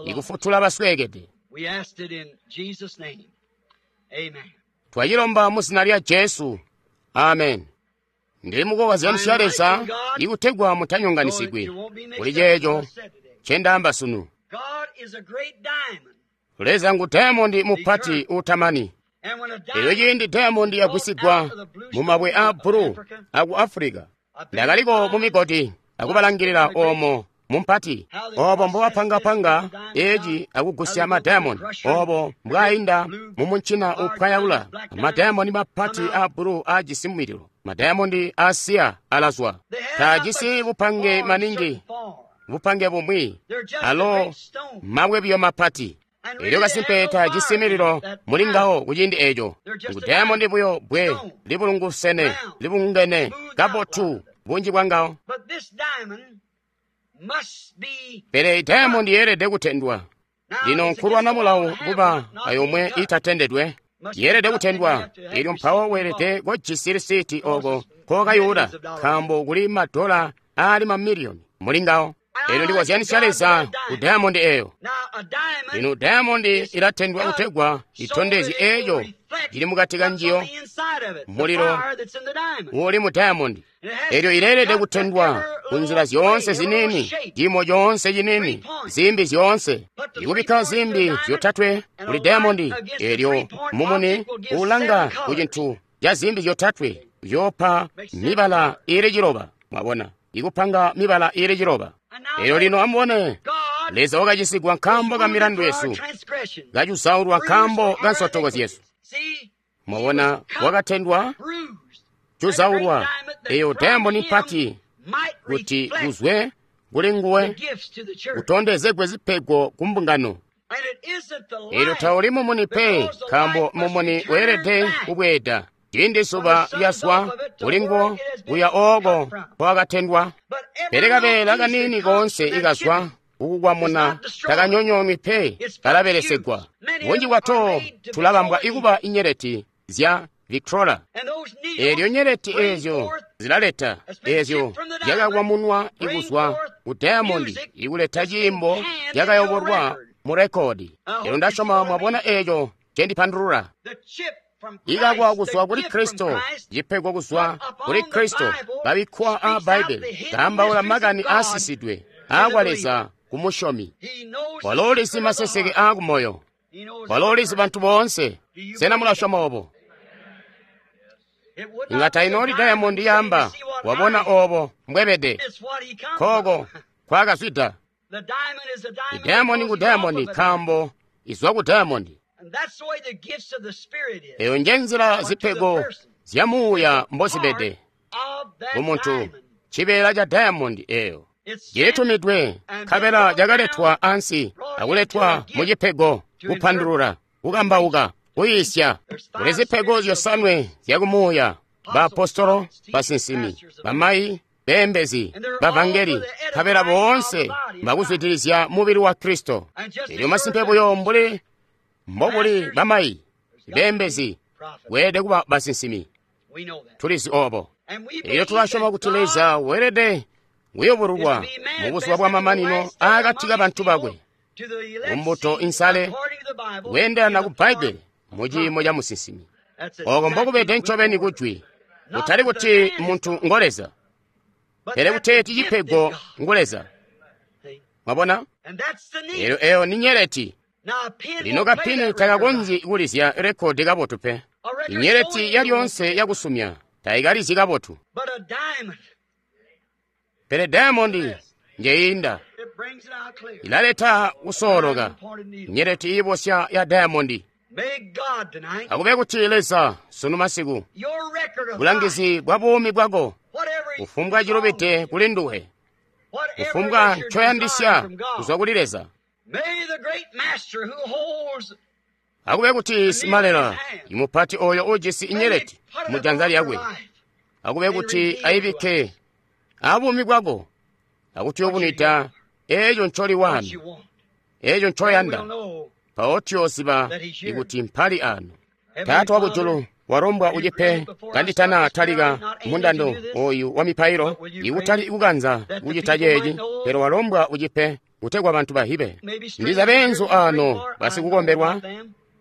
S1: ikufutula basweekede. Twacilomba mu zina lya Jesu. Amen. Ndili mukukozyanisya Leza ikutegwa mutanyonganisigwi kuli ceeco ncendaamba sunu. Leza ngu diamondi mupati uutamani. Elyo ciindi diamondi yagwisigwa mu mabwe aa bbulu aku Afulika, ndakaliko mu migodi akubalangilila oomo mumpati, obo mbobapangapanga eci akugusya madiamondi, obo mbwainda mumuncina upwayaula madiamondi mapati aa bbulu aajisi mulilo. Madiamondi aasiya alazwa, taajisi bupange maningi, bupange bumwi, alo mabwe biyo mapati. Elyo kasimpe taajisi mililo muli ngawo kuciindi eco. Ngu diamondi buyo bwe libulungusene, libungene kabotu bunji bwa ngawo. Pele diamondi yeelede kutendwa. Lino nkulwana mulawo kuba ayomwe itatendedwe. Yeelede kutendwa. Elyo mpawo weelede kojisi lisiti oko kokayula, nkaambo kuli madola aali mamiliyoni muli ngawo. Elyo ndikozyanisya Leza ku diamondi eyo. Lino diamondi ilatendwa kutegwa itondezye eco cili mukati ka njiyo, mulilo uli mu diamondi. Elyo ileelede kutendwa ku nzila zyoonse ziniini, ciimo coonse ciniini, zimbi zyoonse. Ikubikka zimbi zyotatwe kuli diamondi, elyo mumuni uulanga ku cintu ca zimbi zyotatwe uyoopa mibala iili ciloba. Mwabona, ikupanga mibala iili ciloba. Elyo lino amubone, Leza wakacisigwa nkaambo ka milandu yesu, kacuzaulwa nkaambo ka nsotoko zyesu. Mwabona, wakatendwa, cuzaulwa, eyo diamondi mpati kuti kuzwe kuli nguwe kutondezegwe zipego ku mbungano. Elyo tauli mumuni pe, nkaambo mumuni weelede kubweeda ciindi zuba lyazwa kuli nguwo kuya ooko kwakatendwa. Pele kabeela kaniini koonse ikazwa kukukwamuna takanyonyoonwi pe, kalabelesegwa. Bunji bwato tulabambwa ikuba inyeleti zya Victrola. Elyo nyeleti eezyo zilaleta eezyo zyakakwamunwa ikuzwa ku diamondi ikuleta ciimbo cyakayobolwa mu rekodi. Elyo ndasyoma mwabona eeco ncendipandulula. Ikakwa kuzwa kuli Kristo, cipego kuzwa kuli Kristo, kabikkwa aa Bbaibbele, kaambaula makani aasisidwe aakwa Leza ku musyomi. Walo ulizi maseseke aakumoyo. Walo ulizi bantu boonse. Sena mulasyoma obo? Inga tainooli diamondi yaamba, wabona obo mbwebede, kooko kwakazwida. Idiamondi ngu diamondi nkaambo izwa ku diamondi. Eyo nje nzila zipego zya muuya mbozibede kumuntu, cibeela ca diamondi eyo cilitumidwe, nkabela cakaletwa ansi akuletwa mu cipego, kupandulula, kukambauka, kuyiisya. Kuli zipego zyosanwe zyakumuuya: baapostolo, basinsimi, bamayi, beembezi, bavangeli, nkabela boonse mbakuzwidilizya mubili wa Kristo. Elyo masimpe buyo mbuli mbobuli bamayi, beembezi, weelede kuba basinsimi. Tulizi obo. Elyo tulasyoma kuti Leza weelede kuyubululwa mu buzuba bwamamanino aakati ka bantu bakwe, mbuto insale, kweendelana ku Bbaibbele mu ciimo ca musinsimi. Oko mbokubede ncobeni kujwi, kutali kuti muntu ngo Leza, pele kuteeti cipego ngu Leza. Mwabona? Elyo eyo ni nyeleti. Lino kapini takakonzyi kulizya rekodi kabotu pe. Inyeleti yalyoonse yakusumya tayikalizyi kabotu. Pele diamondi njeyinda, ilaleta kusooloka, nyeleti iibosya ya diamondi. Akube kuti Leza sunu masiku, bulangizi bwa buumi bwako, kufumbwa cilubide kuli nduwe, kufumbwa ncoyandisya kuzwa kuli Leza. Akube kuti simalela imupati oyo ujisi inyeleti mu janza lyakwe, akube kuti ayibikke abuumi bwako, akutuyubunwida eeco ncoli wanu, eeco ncoyanda, mpawo tuyooziba ikuti mpali ano. Taata wakujulu, walombwa ucipe kanditana talika mundando oyu wa mipailo, ikutali kukanza kucita ceeci, pele walombwa ucipe kutegwa bantu bahibe. Ndiza beenzu ano basikukombelwa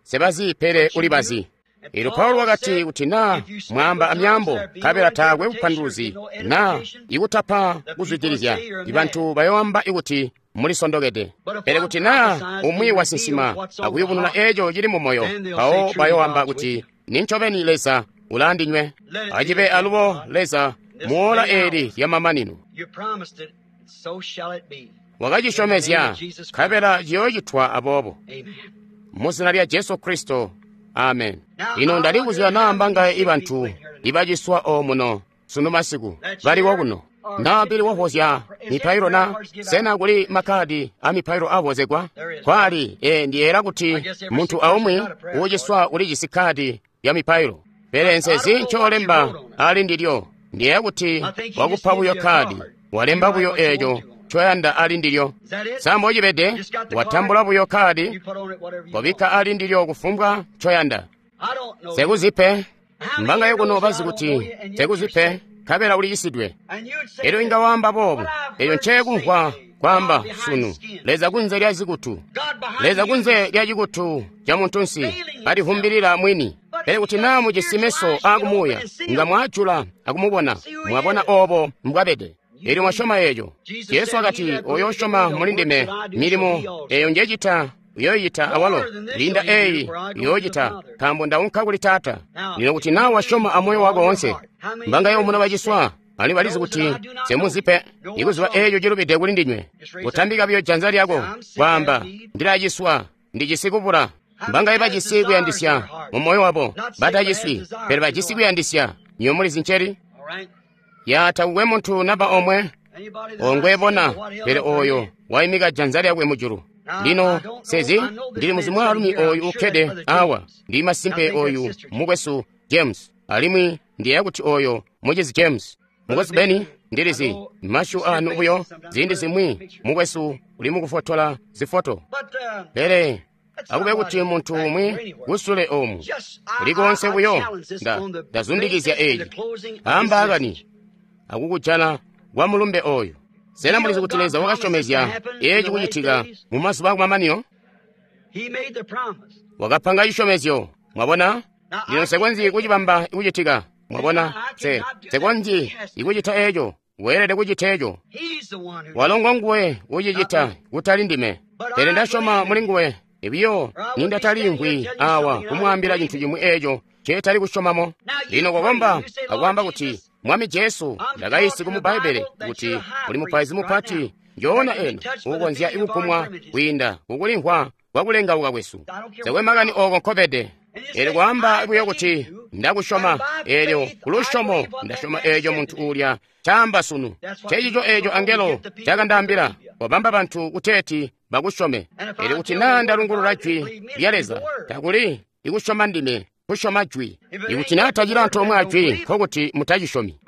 S1: sebazi pele ulibazi. Elyo Paulo wakati kuti naa mwaamba amyaambo nkabela taakwe bupanduluzi naa ikutapa kuzwidilizya, ibantu bayoamba ikuti mulisondokede. Pele kuti naa umwi wasinsima akuyubununa eeco cili mu moyo, mpawo bayoamba kuti nincobeni Leza ulaandinywe. Acibe alubo Leza muola eeli lyamamanino. Wakacisyomezya, nkabela ciyoocitwa aboobo. Mu zina lya Jesu Kristo, amen. Lino ndalikuzya naa mbangaye ibantu ibaciswa omuno sunu masiku baliwo kuno. Naa pili wavozya mipailo na sena kuli makkadi a mipailo avozegwa? Kwali, ndiyeera kuti muntu aumwi uuciswa ulijisi kkadi ya mipailo. Pele nsezi ncolemba ali ndilyo. Ndiyeeya kuti wakupa buyo kkadi, walemba buyo eeco ncoyanda ali ndilyo. Sa mbocibede, watambula buyo kkadi, wabikka ali ndilyo kufumbwa ncoyanda. Sekuzipe, mbangaye kuno bazi kuti sekuzipe, nkabela uliicisidwe. Elyo inga waamba boobu, eyo ncekumvwa kwaamba sunu, Leza kunze lya zikutu, Leza kunze lya cikutu ca muntunsi, alivumbilila mwini. Pele kuti naa mujisi meso aakumuuya, inga mwaajula akumubona, mwabona oobo mbwabede. Elyo mwasyoma eeco. Jesu wakati, oyo usyoma muli ndime, milimo eyo njecita uyoyita awalo, linda eyi uyoocita, nkaambo ndaunka kuli Taata. Lino kuti naa wasyoma amoyo wako woonse, mbangaye omuno baciswa, alimwi balizi kuti semuzipe, ikuziba eeco cilubide kuli ndinywe. Kutambika buyo janza lyako, kwaamba, ndilaciswa, ndijisi kubula. Mbangaye bajisi kuyandisya mu moyo wabo, bataciswi, pele bajisi kuyandisya. Nywebo mulizi nceli? Ya takukwe muntu naba omwe ongwebona, pele oyo waimika janza lyakwe mujulu. Lino sezi ndili muzi mwaalumi oyu ukkede awa, ndi masimpe oyu mukwesu James, alimwi ndiyeeya kuti oyo mucizi James. Mukwesu Beni, ndilizi masyu anu buyo ziindi zimwi mukwesu uli mukufotola zifoto. Pele akube kuti muntu umwi kusule omu kulikonse buyo ndazundikizya eeci ambaakani akukujana kwa mulumbe oyu. Sena mulizi kuti Leza wakasyomezya eeci kucitika mu mazuba akumamanino? Wakapanga cisyomezyo, mwabona? Lino nsekonzyi kucibamba kucitika, mwabona? Nsekonzyi ikucita eeco, weelede kucita eeco. Walo ngonguwe ucicita, kutali ndime. Pele ndasyoma muli nguwe, biyo nindataliimvwi awa kumwaambila cintu cimwi eeco nceetali kusyomamo. Lino kokomba akwaamba kuti, Mwami Jesu, ndakaisi mu Bbaibbele kuti uli mupaizi mupati njoona eno uukonzya kukumwa kwiinda kukulimvwa kwakulengauka kwesu. Nsekwe makani ooko nkobede. Eelyo kwaamba buyo kuti ndakusyoma, eelyo kulusyomo ndasyoma eeco muntu uulya caamba sunu. Ncencico eeco angelo cakandaambila, wabamba bantu kuteeti bakusyome. Eelyo kuti naa ndalungulula jwi lya Leza, takuli ikusyoma ndime, kusyoma jwi. Ikuti naa tacili antoomwe ajwi, nkokuti mutacisyomi.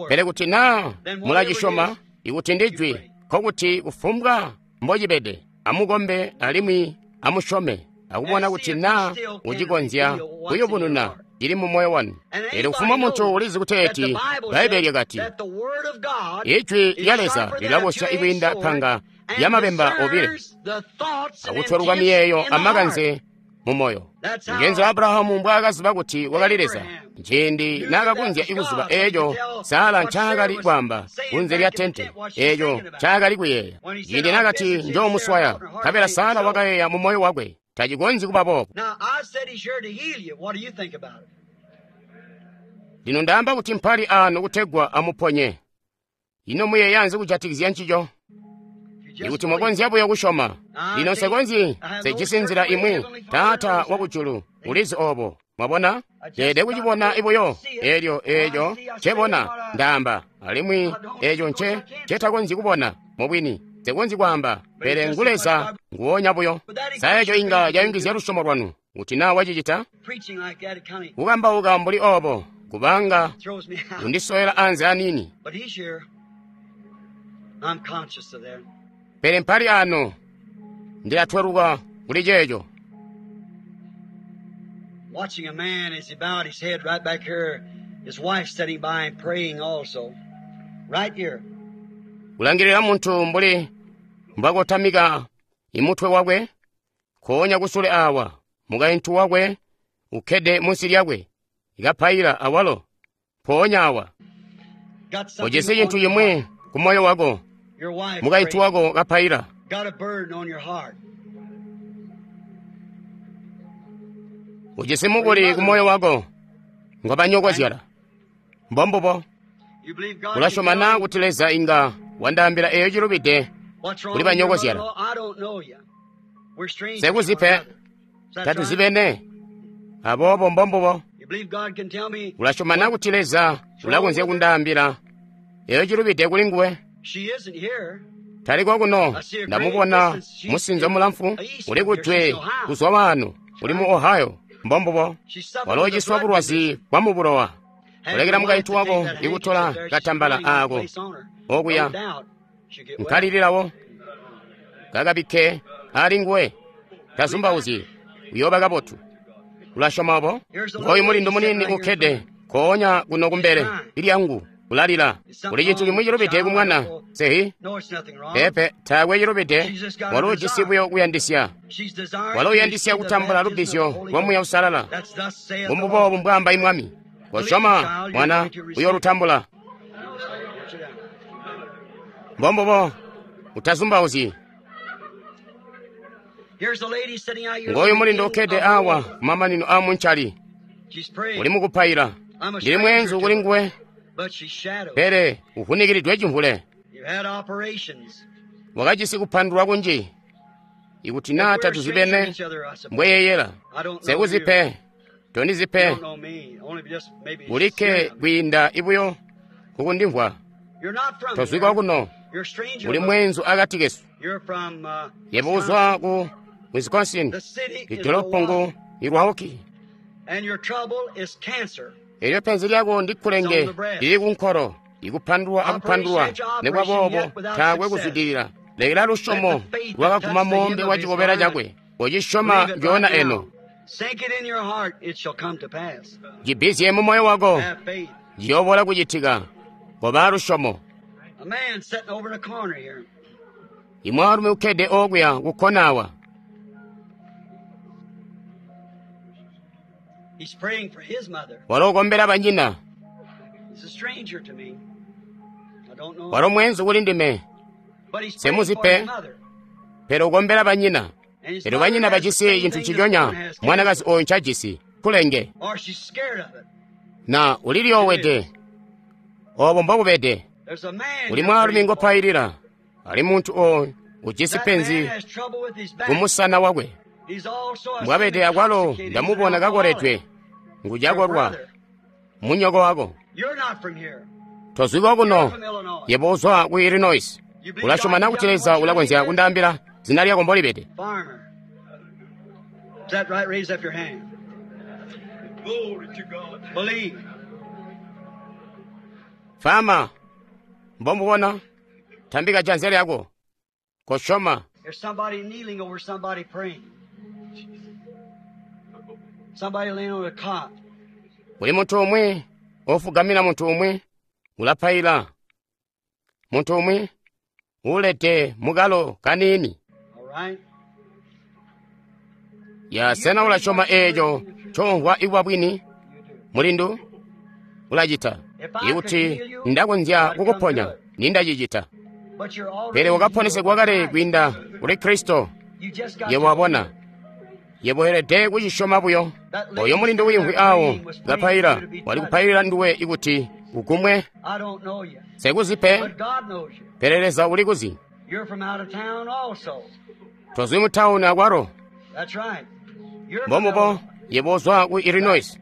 S1: Pele kuti naa mulacisyoma, ikuti ndi jwi, nkokuti kufumbwa mbocibede, amukombe alimwi amusyome, akubona kuti naa ucikonzya kuyubununa cili mu moyo wanu. Eelyo kufumbwa muntu ulizi kuteeti Bbaibbele lyakati, ijwi lya Leza lilabosya ikwiinda panga lyamabemba obile, akutweluka miyeeyo amakanze mu moyo. Ngenzi Abrahamu mbwaakaziba kuti wakali Leza, ciindi naakakonzya ikuziba eeco Sara ncaakali kwaamba kunze lya tente, eeco ncaakali kuyeeya. Ciindi naakati njoomuswaya, nkabela Sara wakayeeya mu moyo wakwe, tacikonzyi kuba boobo. Lino ndaamba kuti mpali aano kutegwa amuponye. Ino muyeeya nzi kujatikizya ncico? Ikuti mwakonzya buyo kusyoma. Lino nsekonzyi, nsejisi nzila imwi. Taata wakujulu ulizi oobo. Mwabona? Ndeelede kucibona buyo. Eelyo eeco ncebona, ndaamba. Alimwi eeco ncetakonzyi kubona, mubwini. Nsekonzyi kwaamba, pele ngu Leza nguwonya buyo. Sa eeco inga cayungizya lusyomo lwanu, kuti naa wacicita? Kukambauka mbuli oobo, kubanga kundisowela anze aniini. Pele mpali ano, ndilatweluka kuli ceeco.
S2: Watching a man as he bowed his head right back here, his wife sitting by and praying also. Right here.
S1: Kulangilila muntu mbuli mbwakotamika imutwe wakwe, nkoonya kusule awa, mukaintu wakwe ukkede munsi lyakwe, kapaila awalo, mpoonya awa.
S2: Got something
S1: Ujisi cintu
S2: on your
S1: cimwi
S2: heart.
S1: ku moyo wako,
S2: Your wife
S1: mukaintu
S2: praying.
S1: wako kapaila.
S2: Got a burden on your heart.
S1: Ujisi mukuli ku moyo wako, ngobanyokozyala. Mbombubo.
S2: You believe God can
S1: Ulasyoma
S2: tell
S1: na
S2: you
S1: kuti Leza inga wandaambila eyo cilubide
S2: what's wrong
S1: kuli
S2: with your
S1: banyokozyala.
S2: mother-in-law? I don't know you. We're strangers to one
S1: Sekuzipe,
S2: another. Is that right?
S1: tatuzibene. Aboobo mbombubo.
S2: You believe God can tell me
S1: Ulasyoma na kuti Leza ulakonzya kundaambila eyo cilubide kuli nguwe.
S2: she isn't here?
S1: Tali kokuno, ndamubona musinzo mulamfu uli kujwe kuzwa wano, uli mu Ohio. Mbombubo.
S2: She suffered
S1: Walo
S2: with a
S1: uciswa
S2: blood
S1: bulwazi
S2: condition.
S1: bwa mu bulowa.
S2: Had
S1: Ulekela
S2: your wife
S1: mukaintu
S2: to take
S1: wako
S2: that handkerchief
S1: ikutola
S2: there, she's
S1: katambala
S2: praying on
S1: ako
S2: place on her.
S1: okuya
S2: No doubt she'll get well.
S1: nkalililawo kakabikke ali nguwe tazumbauzyi uyooba kabotu. Ulasyoma obo? Ngoyu mulindu muniini ukkede nkoonya kuno kumbele ilyangu ulalila. Kuli cintu cimwi cilubide ku mwana sehi?
S2: No, it's nothing wrong.
S1: Peepe, taakwe cilubide. Walo ujisi buyo kuyandisya.
S2: She's desiring
S1: Walo
S2: to
S1: uyandisya
S2: receive the
S1: kutambula
S2: baptism of the
S1: lubbizyo
S2: Holy
S1: lwa Muuya
S2: Ghost.
S1: Uusalala.
S2: That's thus saith the
S1: Mbombubo
S2: Lord.
S1: mbwaamba imwami. Kosyoma mwana uyoolutambula.
S2: Sit down.
S1: Mbombubo utazumbauzyi.
S2: Here's a lady sitting out here.
S1: Ngoyu
S2: at the
S1: mulindu
S2: end
S1: ukkede
S2: of the
S1: awa
S2: road.
S1: kumamanino a munchali
S2: She's praying,
S1: uli mukupaila.
S2: I'm a
S1: Ndili
S2: stranger
S1: mweenzu
S2: to
S1: kuli
S2: her,
S1: nguwe,
S2: but she's shadowed.
S1: pele uvunikiridwe chimvule.
S2: You've had operations.
S1: Wakajisi kupandulwa kunji. Ikuti
S2: If
S1: naa
S2: we're a stranger to
S1: tatuzibene
S2: each other, I suppose.
S1: mbweyeyela.
S2: I don't know you.
S1: Sekuzipe,
S2: You
S1: tondizipe,
S2: don't know me. Only just maybe
S1: ulikke
S2: hearing of me.
S1: kwiinda ibuyo kukundimvwa.
S2: You're not from
S1: Tozwikwa
S2: here.
S1: kuno,
S2: You're a stranger.
S1: uli
S2: but
S1: mweenzu akati kesu.
S2: You're from
S1: Yebo
S2: Wisconsin.
S1: uzwa ku Wisconsin,
S2: The city is
S1: idolopo ngu
S2: Milwaukee.
S1: Milwaukee.
S2: And your trouble is cancer.
S1: Elyo penzi lyako ndi
S2: It's on
S1: kkulenge
S2: the breast.
S1: lili kunkolo, ikupandulwa
S2: Operation
S1: akupandulwa,
S2: after operation,
S1: nekwaboobo
S2: yet without
S1: taakwe
S2: success.
S1: kuzwidilila. Lekela
S2: Let
S1: lusyomo
S2: the faith that
S1: lwakaguma
S2: touched the
S1: mombe
S2: hem
S1: wa
S2: of his
S1: chikobera
S2: garment
S1: chakwe, ucisyoma
S2: believe it right
S1: njoona eno.
S2: now. Sink it in your heart, it shall come to pass.
S1: Cibizye mu moyo wako,
S2: Have faith.
S1: ciyoobola kucitika. Koba lusyomo.
S2: A man sitting over in a corner here.
S1: Imwaalumi ukkede okuya kukkona awa,
S2: He's praying for his mother.
S1: walo ukombela banyina,
S2: He's a stranger to me. I don't know
S1: walo
S2: him.
S1: mweenzu kuli ndime,
S2: But he's praying for his
S1: semuzipe,
S2: mother.
S1: pele ukombela banyina.
S2: And his
S1: Elyo
S2: mother
S1: banyina
S2: has the
S1: bajisi
S2: same
S1: cintu
S2: thing this
S1: nciconya
S2: woman has,
S1: mwanakazi
S2: cancer.
S1: oyo ncajisi, kulenge.
S2: Or she's scared of it.
S1: Na
S2: She
S1: uliliyoowede,
S2: is.
S1: obo mbokubede.
S2: There's a man
S1: Uli
S2: you're
S1: mwaalumi
S2: praying for.
S1: ngopailila, ali muntu oyo ujisi
S2: That man
S1: penzi
S2: has trouble with his back.
S1: kumusana wakwe.
S2: He's also a
S1: Mbwabede akwalo
S2: intoxicated. He's an
S1: ndamubona
S2: alcoholic.
S1: kakoledwe,
S2: Your
S1: ngujakolwa,
S2: brother.
S1: munyoko wako.
S2: You're not from here.
S1: Tozwikwa
S2: You're
S1: kuno,
S2: from Illinois.
S1: yebo uzwa ku Illinois.
S2: You believe God
S1: Ulasyoma
S2: can
S1: na
S2: tell
S1: kuti
S2: me
S1: Leza
S2: what your name
S1: ulakonzya
S2: is?
S1: kundaambila zina lyako mbolibede.
S2: Farmer. Is that right? Raise up your hand.
S3: Glory to God.
S2: Believe.
S1: Fama, mbomubona, tambika janza lyako. Kosyoma,
S2: There's somebody kneeling over somebody praying. Somebody laying on a cot.
S1: uli muntu umwi ofugamira muntu umwi ulapaila. Muntu umwi ulede mukalo kaniini.
S2: All right?
S1: Ya
S2: Do you
S1: sena
S2: believe
S1: ulasyoma
S2: what you
S1: eeco
S2: believe in the truth?
S1: comvwa ikuba bwini?
S2: You do.
S1: Mulindu ulacita.
S2: If I could
S1: Ikuti
S2: heal you,
S1: ndakonzya
S2: I'd come
S1: kukuponya,
S2: do it.
S1: nindacicita.
S2: But you're
S1: Pele
S2: already healed
S1: wakaponesegwa
S2: by
S1: kale
S2: Christ.
S1: kwiinda kuli Kristo.
S2: You just got
S1: Yebo
S2: to believe
S1: wabona.
S2: it.
S1: Yebo welede kucisyoma buyo.
S2: That
S1: Oyo
S2: lady
S1: mulindu
S2: sitting
S1: wiimvwi
S2: there
S1: awo
S2: praying was praying for you
S1: kapaila,
S2: to be
S1: wali
S2: touched.
S1: kupailila nduwe ikuti ugumwe.
S2: I don't know you,
S1: Sekuzipe,
S2: but God knows you.
S1: pele Leza uli kuzi.
S2: You're from out of town also.
S1: Tozwi mu tawuni akwalo.
S2: That's right. You're from
S1: Mbombubo,
S2: Illinois.
S1: yebo uzwa ku Illinois.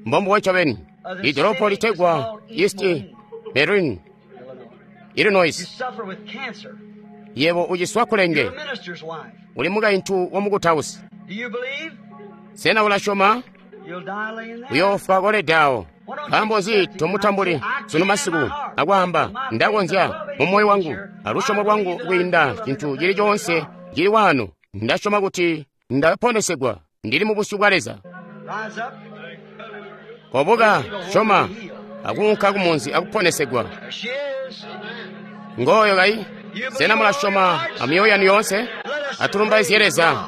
S1: Mbombubo ncobeni.
S2: The
S1: Idolopo
S2: city is
S1: litegwa
S2: called East
S1: East
S2: Moline,
S1: Berlin,
S2: Illinois. You
S1: Illinois.
S2: suffer with cancer.
S1: Yebo uciswa
S2: You're
S1: kulenge.
S2: a minister's wife.
S1: Uli mukaintu wa mukutausi.
S2: Do you believe?
S1: Sena ulasyoma?
S2: You'll die laying there.
S1: Uyoofwa kolede awo.
S2: Why don't you
S1: Nkaambo nzi
S2: accept it tonight? Say,
S1: tomutambuli
S2: I
S1: sunu
S2: can in my
S1: masiku
S2: heart.
S1: akwaamba
S2: With my faith
S1: ndakonzya
S2: above
S1: mu
S2: anything
S1: moyo wangu
S2: here,
S1: alusyomo
S2: I
S1: lwangu
S2: believe that I'm
S1: kwiinda
S2: healed. I'm in the
S1: cintu cili
S2: presence of
S1: coonse
S2: God.
S1: cili wano. Ndasyoma kuti ndaponesegwa ndili mu busyu bwa Leza. Kobuka, syoma, akuunka kumunzi akuponesegwa. Ngooyo kayi. Sena mulasyoma amyoyo yanu yoonse? Atulumbaizye Leza.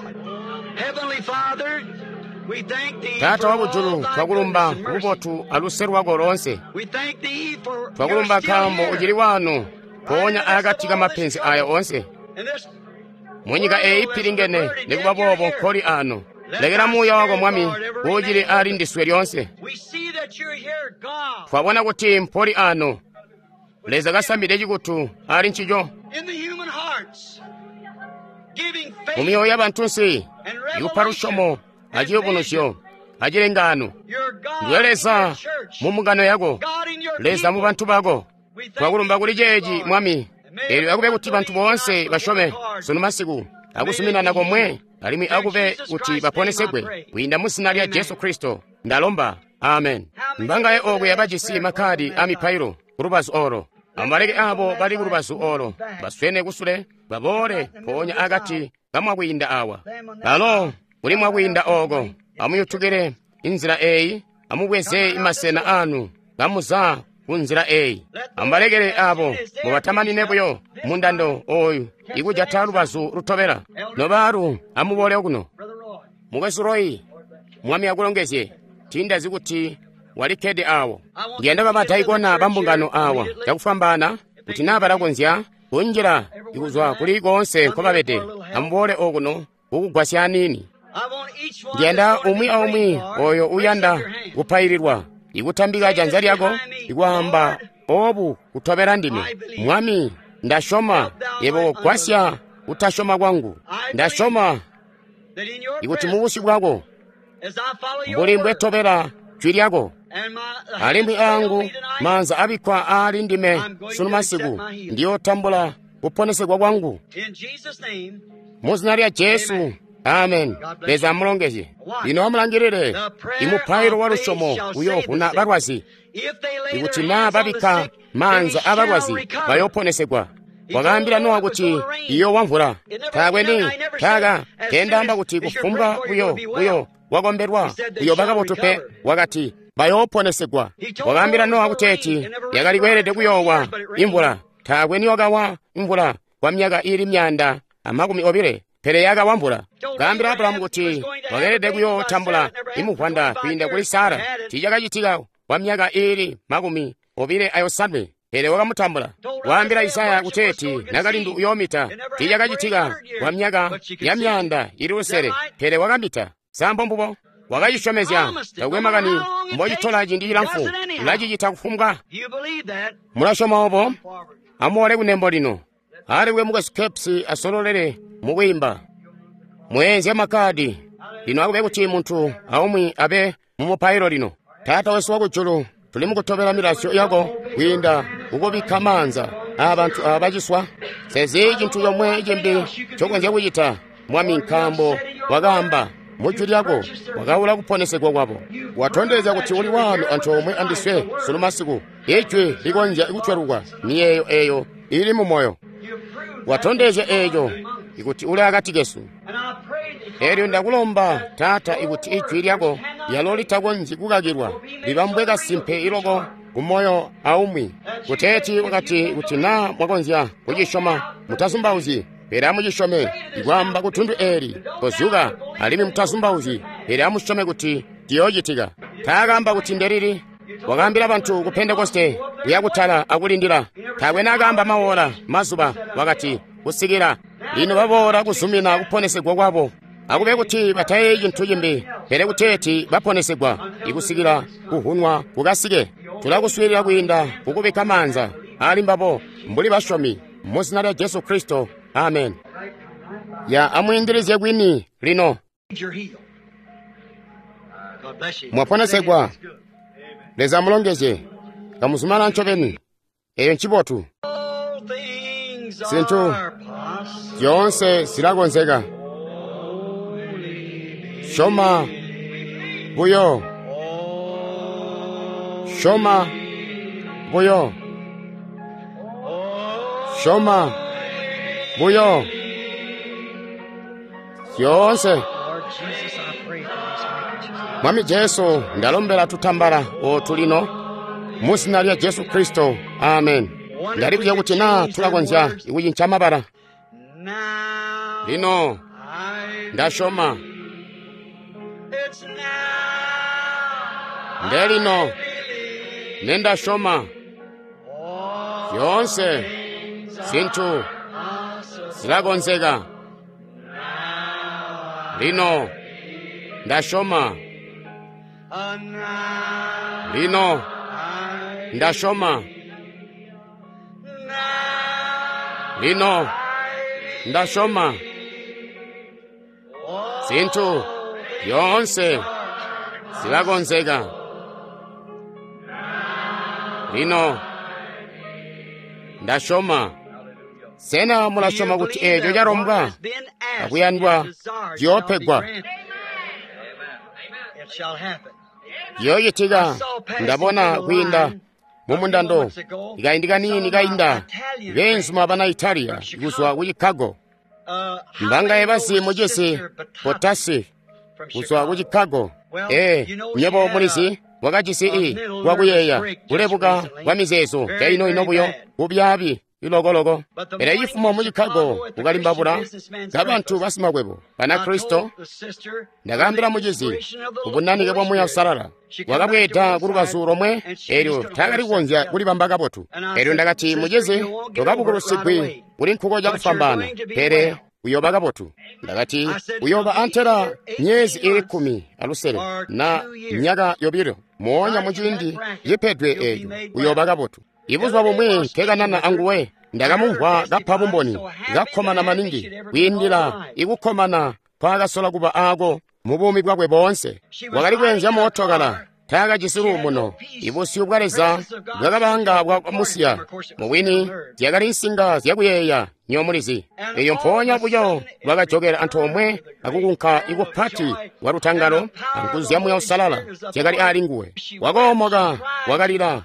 S1: Taata wakujulu, twakulumba kububotu aluse lwako loonse. Twakulumba nkaambo ucili wano mpoonya akati kamapenzi aya oonse. Munyika eyi ipilingene, nikuba boobo nkoli ano. Lekela muuya wako Mwami ucili ali ndiswe lyoonse. Twabona kuti mpoli ano. Leza kasambide cikutu ali ncico. Mu myoyo yabantunsi, ikupa lusyomo aciyubunuzyo acilengano. Ndiwe Leza mu mbungano yako, Leza mu bantu bako. Twakulumba kuli ceeci Mwami. Eelyo akube kuti bantu boonse basyome sunu masiku akuzuminana komwe, alimwi akube kuti baponesegwe kwiinda mu zina lya Jesu Kristo. Ndalomba, amen. Mbangaye okuya bajisi makkadi a mipailo ku lubazu olo. Amubaleke abo bali ku lubazu olo baswene kusule, baboole mpoonya akati kamwakwiinda awa. Balo kuli mwakwiinda oko, amuyutukile inzila eyi, amubweze masena anu kamuza ku nzila eyi. Amubalekele abo mubatamanine buyo mundando oyu ikujata lubazu lutobela. Nobaalu, amuboole kuno. Mukwesu Roy, Mwami akulongezye. Tindazi kuti walikkede awo. Ndiyanda bamadaikona bambungano awa cakufwambaana kuti naa balakonzya kunjila ikuzwa kuli koonse nkobabede. Amuboole okuno kukugwasya aniini. Ndiyanda umwi aumwi oyo uyanda kupaililwa ikutambika janza lyako ikwaamba obu kutobela ndime. Mwami, ndasyoma, yebo gwasya kutasyoma kwangu. Ndasyoma ikuti mubusyu bwako mbuli mbwetobela jwi lyako, alimwi angu maanza abikkwa aali ndime sunu masiku, ndiyotambula kuponesegwa kwangu mu zina lya Jesu. Amen. Leza amulongezye. Lino amulangilile imupailo wa lusyomo uyoovuna balwazi. Ikuti naa babikka maanza abalwazi bayooponesegwa. Wakaambila Nowa kuti iyoowa mvula. Taakwe ni taaka kendaamba kuti kufumbwa buyo wakombelwa uyoba kabotu pe. Wakati bayooponesegwa. Wakaambila Nowa kuteeti yakali kweelede kuyoowa imvula. Taakwe niwakawa imvula kwa myaka iili 220, pele yakawa mvula. Kaambila Abulahamu kuti wakeelede kuyootambula imuvwanda kwiinda kuli Sara. Tiicakacitika kwa myaka iili 28, pele wakamutambula. Waambila Isaya kuteeti nakalindu uyoomita. Tiicakacitika kwa myaka ya 600, pele wakamita. Sambo mbubo wakacisyomezya. Takwe makani mbocitola ciindi cilamfu, ulacicita kufumbwa. Mulasyoma obo? Amuboole kunembo lino. Aliwe mukwesu Capps asololele mukwiimba. Mweenzya makkadi. Lino akube kuti muntu aumwi abe mumupailo lino. Taata wesu wakujulu, tuli mukutobela milazyo yako kwiinda kukubikka maanza aabantu aaba baciswa. Sezi cintu comwe cimbi ncokonzya kucita, Mwami, nkaambo wakaamba mu jwi lyako, wakaula kuponesegwa kwabo. Watondezya kuti uli wano antoomwe andiswe sunu masiku. Ijwi likonzya kutwelukwa miyeeyo eyo ili mu moyo. Watondezya eeco ikuti uli akati kesu. Eelyo ndakulomba, Taata, ikuti ijwi lyako lyalo litakonzyi kukakilwa libambwe kasimpe iloko ku moyo aumwi. Kuteeti wakati kuti naa mwakonzya kucisyoma, mutazumbauzyi, pele amucisyome. Ikwaamba kutundu eeli, kozyuka, alimwi mutazumbauzyi, pele amusyome kuti ciyoocitika. Taakaamba kuti ndelili. Wakaambila bantu ku Pentekoste kuya kutala akulindila. Taakwe naakaamba maola, mazuba, wakati kusikila lino baboola kuzumina kuponesegwa kwabo. Akube kuti batayeeyi cintu cimbi, pele kuteeti baponesegwa ikusikila kuvunwa kukasike. Tulakuswiilila kwiinda kukubikka maanza ali mbabo mbuli basyomi mu zina lya Jesu Kristo. Amen. Ya amwiindilizye kwini lino. Mwaponesegwa. Leza amulongezye. Kamuzumana ncobeni. Eyo ncibotu. Zintu zyoonse zilakonzeka. Syoma buyo. Syoma buyo. Syoma buyo. Zyoonse.
S2: Lord Jesus, I pray for these handkerchiefs.
S1: Mwami Jesu, ndalombela tutambala ootu lino mu zina lya Jesu Kristo. Amen. Ndalibuzya kuti naa tulakonzya kucinca mabala. Lino ndasyoma. Ndelino nendasyoma zyoonse zintu zilakonzeka. Lino ndasyoma. Lino ndasyoma. Lino ndasyoma zintu zyoonse zilakonzeka. Lino ndasyoma. Sena mulasyoma kuti eeco calombwa akuyandwa ciyoopegwa? Ciyoocitika. Ndabona kwiinda mumundando ikaindi kaniini kainda beenzuma bana Italiya kuzwa ku Chicago. Mbangaye bazi mucisi Potasi kuzwa ku Chicago. Nywebo mulizi wakajisi i kwakuyeeya kulebuka kwa mizeezo caino-ino buyo kubyaabi ilokoloko. Pele cifumo mu Chicago kukalimbabula kabantu basimakwebo Banakristo, ndakaambila mucizi kubunanike bwa Muuya Uusalala. Wakabweeda ku lubazu lomwe, eelyo taakali kukonzya kulibamba kabotu. Eelyo ndakati, mucizi, tokabukulusigwi kuli nkuko cakufwambaana, pele uyooba kabotu. Ndakati, uyooba antela myezi iili 16 na myaka 2, moonya muciindi cipedwe eeco uyooba kabotu. Ibuzuba bumwi nkekanana anguwe, ndakamumvwa kapa bumboni, kakkomana maningi kwiindila ikukkomana nkwaakasola kuba aako mu buumi bwakwe boonse. Wakali kweenzya mootokala, taakajisi luumuno. Ibusyu bwa Leza bwakabanga bwakamusiya. Mubwini zyakali nsinga zyakuyeeya nyomulizi. Eyo mpoonya buyo lwakajokela antoomwe akukunka ikupati kwa lutangalo anguzu zya Muuya Uusalala zyakali ali nguwe. Wakoomoka, wakalila,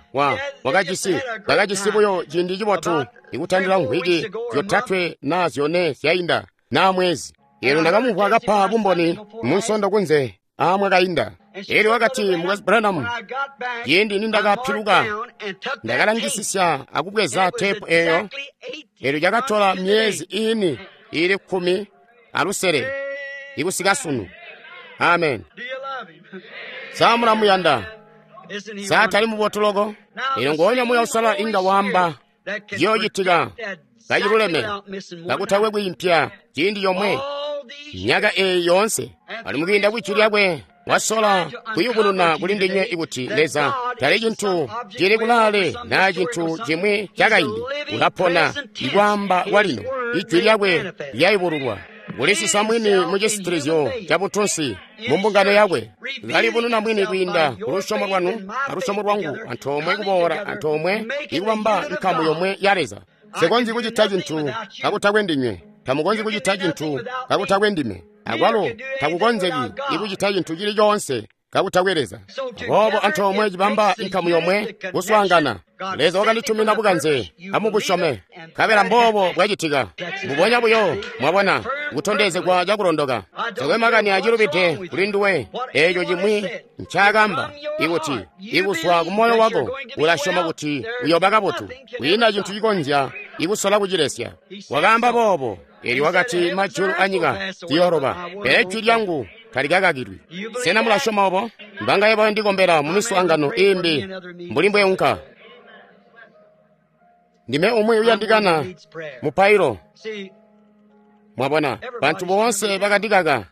S1: wakajisi buyo ciindi cibotu ikutandila mvwiki 3 na 4 zyainda na mwezi. Eelyo ndakamumvwa kapa bumboni mu nsondo kunze aamwakainda. Eelyo wakati, Mukwesu Branham, ciindi nindakapiluka ndakalangisisya akubweza teepu eeyo. Eelyo cakatola myezi iini iili 16 ikusika sunu. Amen. Sa mulamuyanda? Sa tali mubotu loko? Eelyo ngoonya Muuya Uusalala inga waamba ciyoocitika kaciluleme kakutakwe kwiimpya ciindi comwe myaka eeyi yoonse. Ali mukwiinda kwijwi lyakwe wasola kuyubununa kuli ndinywe ikuti Leza tali cintu cili kulaale naa cintu cimwi cakaindi. Ulapona ikwaamba kwalino, ijwi lyakwe lyayubululwa. Kulisisa mwini mu cisitilizyo ca buntunsi mu mbungano yakwe, kalibununa mwini kwiinda ku lusyomo lwanu alusyomo lwangu antoomwe kuboola antoomwe ikubamba nkamu yomwe ya Leza. Nsikonzyi kucita cintu kakutakwe ndinywe, tamukonzyi kucita cintu kakutakwe ndime, akwalo takukonzeki ikucita cintu cili coonse kakutakwe Leza. Aboobo antoomwe cibamba inkamu yomwe kuswaangana. Leza wakanditumina bukanze, amubusyome, nkabela mboobo bwacitika. Mbubonya buyo, mwabona, kutondezegwa cakulondoka. Takwe makani acilubide kuli nduwe, eeco cimwi ncaakamba, ikuti ikuzwa ku moyo wako ulasyoma kuti uyooba kabotu, kwiina cintu cikonzya ikusola kucilesya. Wakaamba boobo, eelyo wakati majulu anyika ziyooloba, pele jwi lyangu talikakakilwi. Sena mulasyoma obo? Mbangaye bayondikombela mu miswaangano iimbi mbuli mbweunka. Ndime umwi uyandikana mupailo. Mwabona, bantu boonse bakandikaka.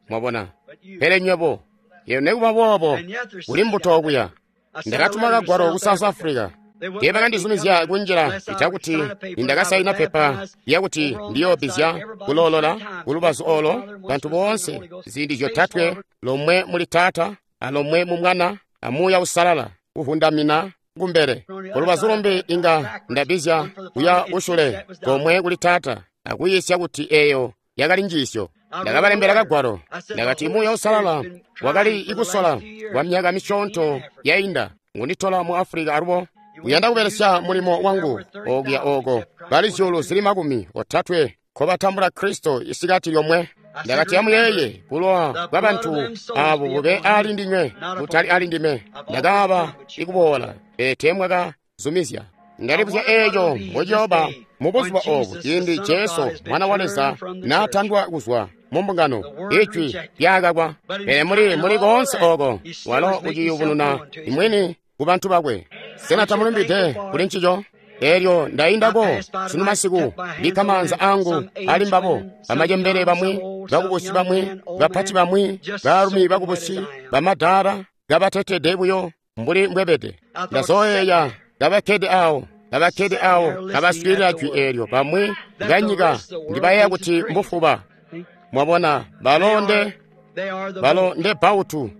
S1: Mwabona, pele nywebo, yeno nekuba boobo kuli mbuto okuya. Ndakatuma kagwalo ku South Africa. Teebakandizumizya kunjila itakuti nindakasaina pepa lyakuti ndiyoobizya kuloolola kulubazu olo bantu boonse ziindi 3, lomwe muli Taata, alomwe mu Mwana, a Muuya Uusalala, kuvundamina kumbele. Kulubazu lumbi inga ndabizya kuya kusule komwe kuli Taata, akuyiisya kuti eeyo yakali njiisyo. Ndakabalembela kagwalo, ndakati Muuya Uusalala wakali ikusola kwa myaka misyoonto yainda ngunditola mu Afulika alubo uyanda kubelesya mulimo wangu okuya oko bali 30,000 nkobatambula Kristo isikati lyomwe. Ndakati, amuyeeye bulowa bwa bantu abo bube ali ndinywe, butali ali ndime. Ndakaaba ikuboola, pele teemwakazumizya. Ndalibuzya eeco mbociyooba mu buzuba obu, ciindi Jesu Mwana wa Leza naatandwa kuzwa mu mbungano, Ijwi lyaakakwa. Pele muli koonse ooko, walo uciyubununa mwini ku bantu bakwe. Sena tamulumbide kuli ncico? Elyo ndaindako sunu masiku, bikka maanza angu ali mbabo, bamacembele bamwi, bakubusi bamwi, bapati bamwi, baalumi bakubusi, bamadaala, kabatetede buyo mbuli mbwebede. Ndazoyeeya kabakkede awo, kabaswiilila jwi eelyo. Bamwi banyika ndibayeeya kuti mbufuba. Mwabona, balo nde bautu.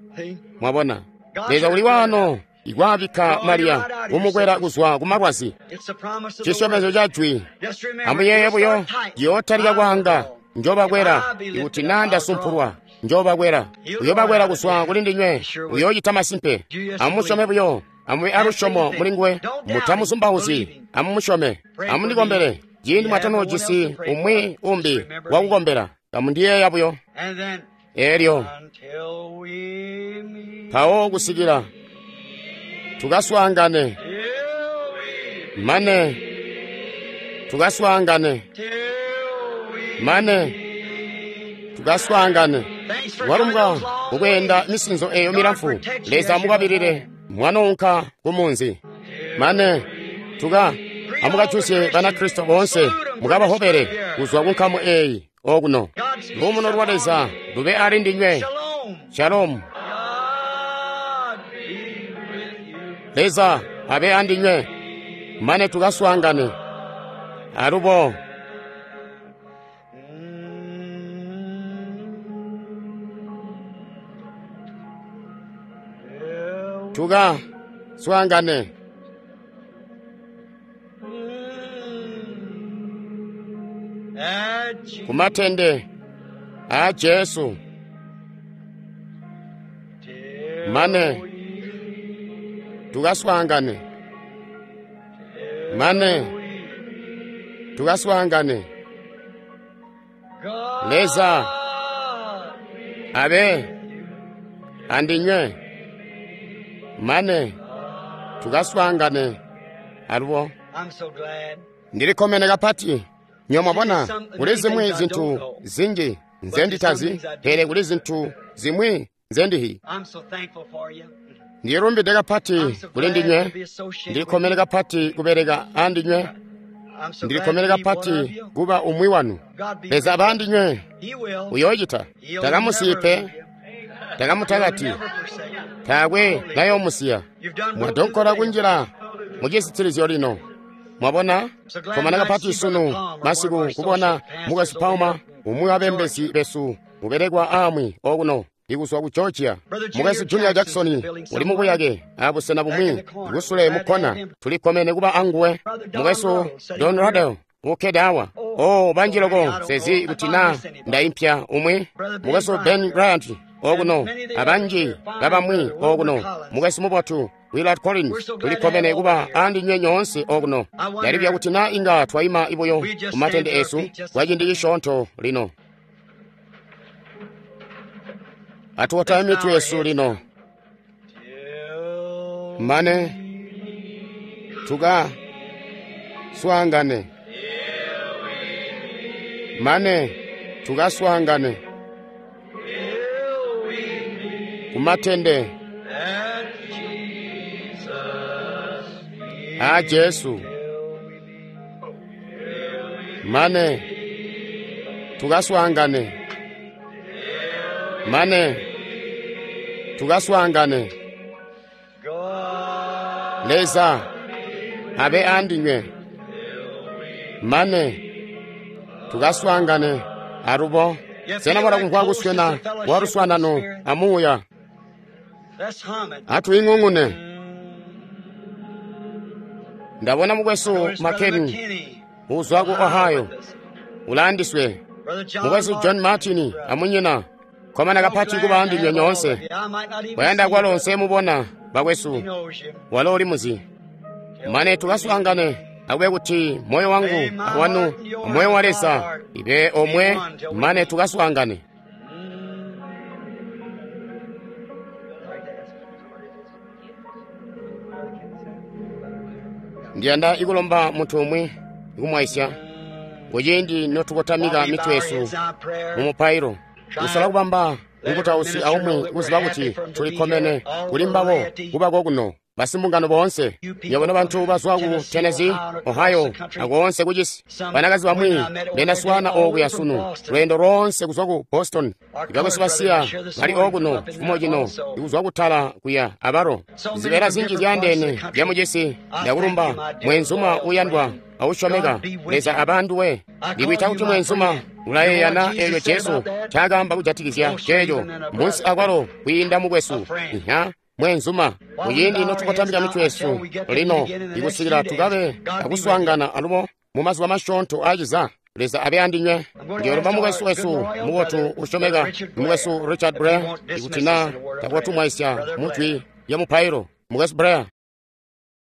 S1: Mwabona, Leza uli wano ikwaabikka Mariya kumukwela kuzwa ku malwazi. Cisyomezyo ca jwi. Amuyeeye buyo, ciyootalika kwaanga, njobakwela, ikuti naa ndasumpulwa, njobakwela. Uyobakwela kuzwa kuli ndinywe, uyoocita masimpe. Amusyome buyo, amube alusyomo mulinguwe, mutamuzumbauzyi, amumusyome. Amundikombele, ciindi mwatanoojisi umwi umbi wakukombela, kamundiyeeya buyo. Elyo mpawo kusikila tukaswaangane, mane tukaswaangane, mane tukaswaangane. Walumbwa kukweenda misinzo eyo milamfu. Leza amukwabilile mwanounka ku munzi. Mane amukajuzye Banakristo boonse, mukabahobele kuzwa ku nkamu eyi okuno. Luumuno lwa Leza lube ali ndinywe. Shalomu. Leza abe andinywe mane tukaswaangane. Alubo tukaswaangane. Kumatende a Jesu mane tukaswaangane, mane tukaswaangane. Leza abe andinywe mane tukaswaangane. Alubo ndilikkomene kapati. Nyo mwabona, kuli zimwi zintu zinji nzenditazi, pele kuli zintu zimwi nzendihi. Ndilumbide kapati kuli ndinywe, ndilikkomene kapati kubeleka andinywe, ndilikkomene kapati kuba umwi wanu. Leza abe andinywe, uyoocita. Takamusiyi pe, takamutakati, taakwe nayoomusiya. Mwadonkola kunjila mucisitilizyo lino. Mwabona, komana kapati sunu masiku kubona mukwesu Palmer, umwi wa bembezi besu ubelekwa amwi okuno ikuzwa ku Georgia. Mukwesu Junior Jackson uli mubuyake abusena bumwi kusule mukkona, tulikkomene kuba anguwe. Mukwesu Don Ruddell ukkede awa. Oh, banji loko sezi kuti na ndaimpya umwi. Mukwesu Ben Bryant okuno, abanji babamwi okuno. Mukwesu mubotu Willard Collins, tulikkomene kuba andinywe nyoonse okuno. Ndalibya kuti na inga twaima ibuyo ku matende esu kwa ciindi cisyoonto lino. Atuwotame mitwe yesu lino mane tukaswaangane, mane tukaswaangane kumatende a Jesu, mane tukaswaangane, mane tukaswaangane. Leza abe andinywe mane tukaswaangane. Alubo sena mwala kumvwa kuswena kwa luswaanano amuuya? Atwiing'ung'une. Ndabona mukwesu McKinney uzwa ku Ohio ulandiswe, mukwesu John Martin amunyina. Komana kapati kuba andinywe nyoonse. Wayanda kwalo nsemubona bakwesu, walo uli muzi. Mane tukaswaangane. Akube kuti moyo wangu awanu moyo wa Leza ibe omwe mane tukaswaangane. Ndiyanda ikulomba munthu umwe ikumwaisya kuciindi notukotamika mitwe yesu mu mupailo kusola kubamba mukutausi aumwi kuziba kuti tulikkomene kuli mbabo kubako kuno basimbungano boonse nywebo bantu bazwa ku Tennessee, Ohio akoonse kucisi. Banakazi bamwi ndendaswaana okuya sunu lweendo loonse kuzwa ku Boston. Ibakwesu basiya bali okuno chifumo chino ikuzwa kutala kuya abalo zibeela zinji zyaandeene zyamucisi. Ndakulumba mwenzuma uyandwa ausyomeka. Leza abanduwe. Ndikwiita kuti mwenzuma ulayeyana eelyo Jesu ncaakaamba kujatikizya ceeco munsi akwalo kwiinda mukwesu nha mwenzuma. Kuciindi notukotamika mitwe yesu lino ikusikila tukabe akuswaangana alubo mu mazuba masyoonto aaciza. Leza abe andinywe. Ndiyolomba mukwesu wesu mubotu usyomeka mukwesu Richard Blair ikuti na takotumwaisya mujwi lya mupailo. Mukwesu Blair.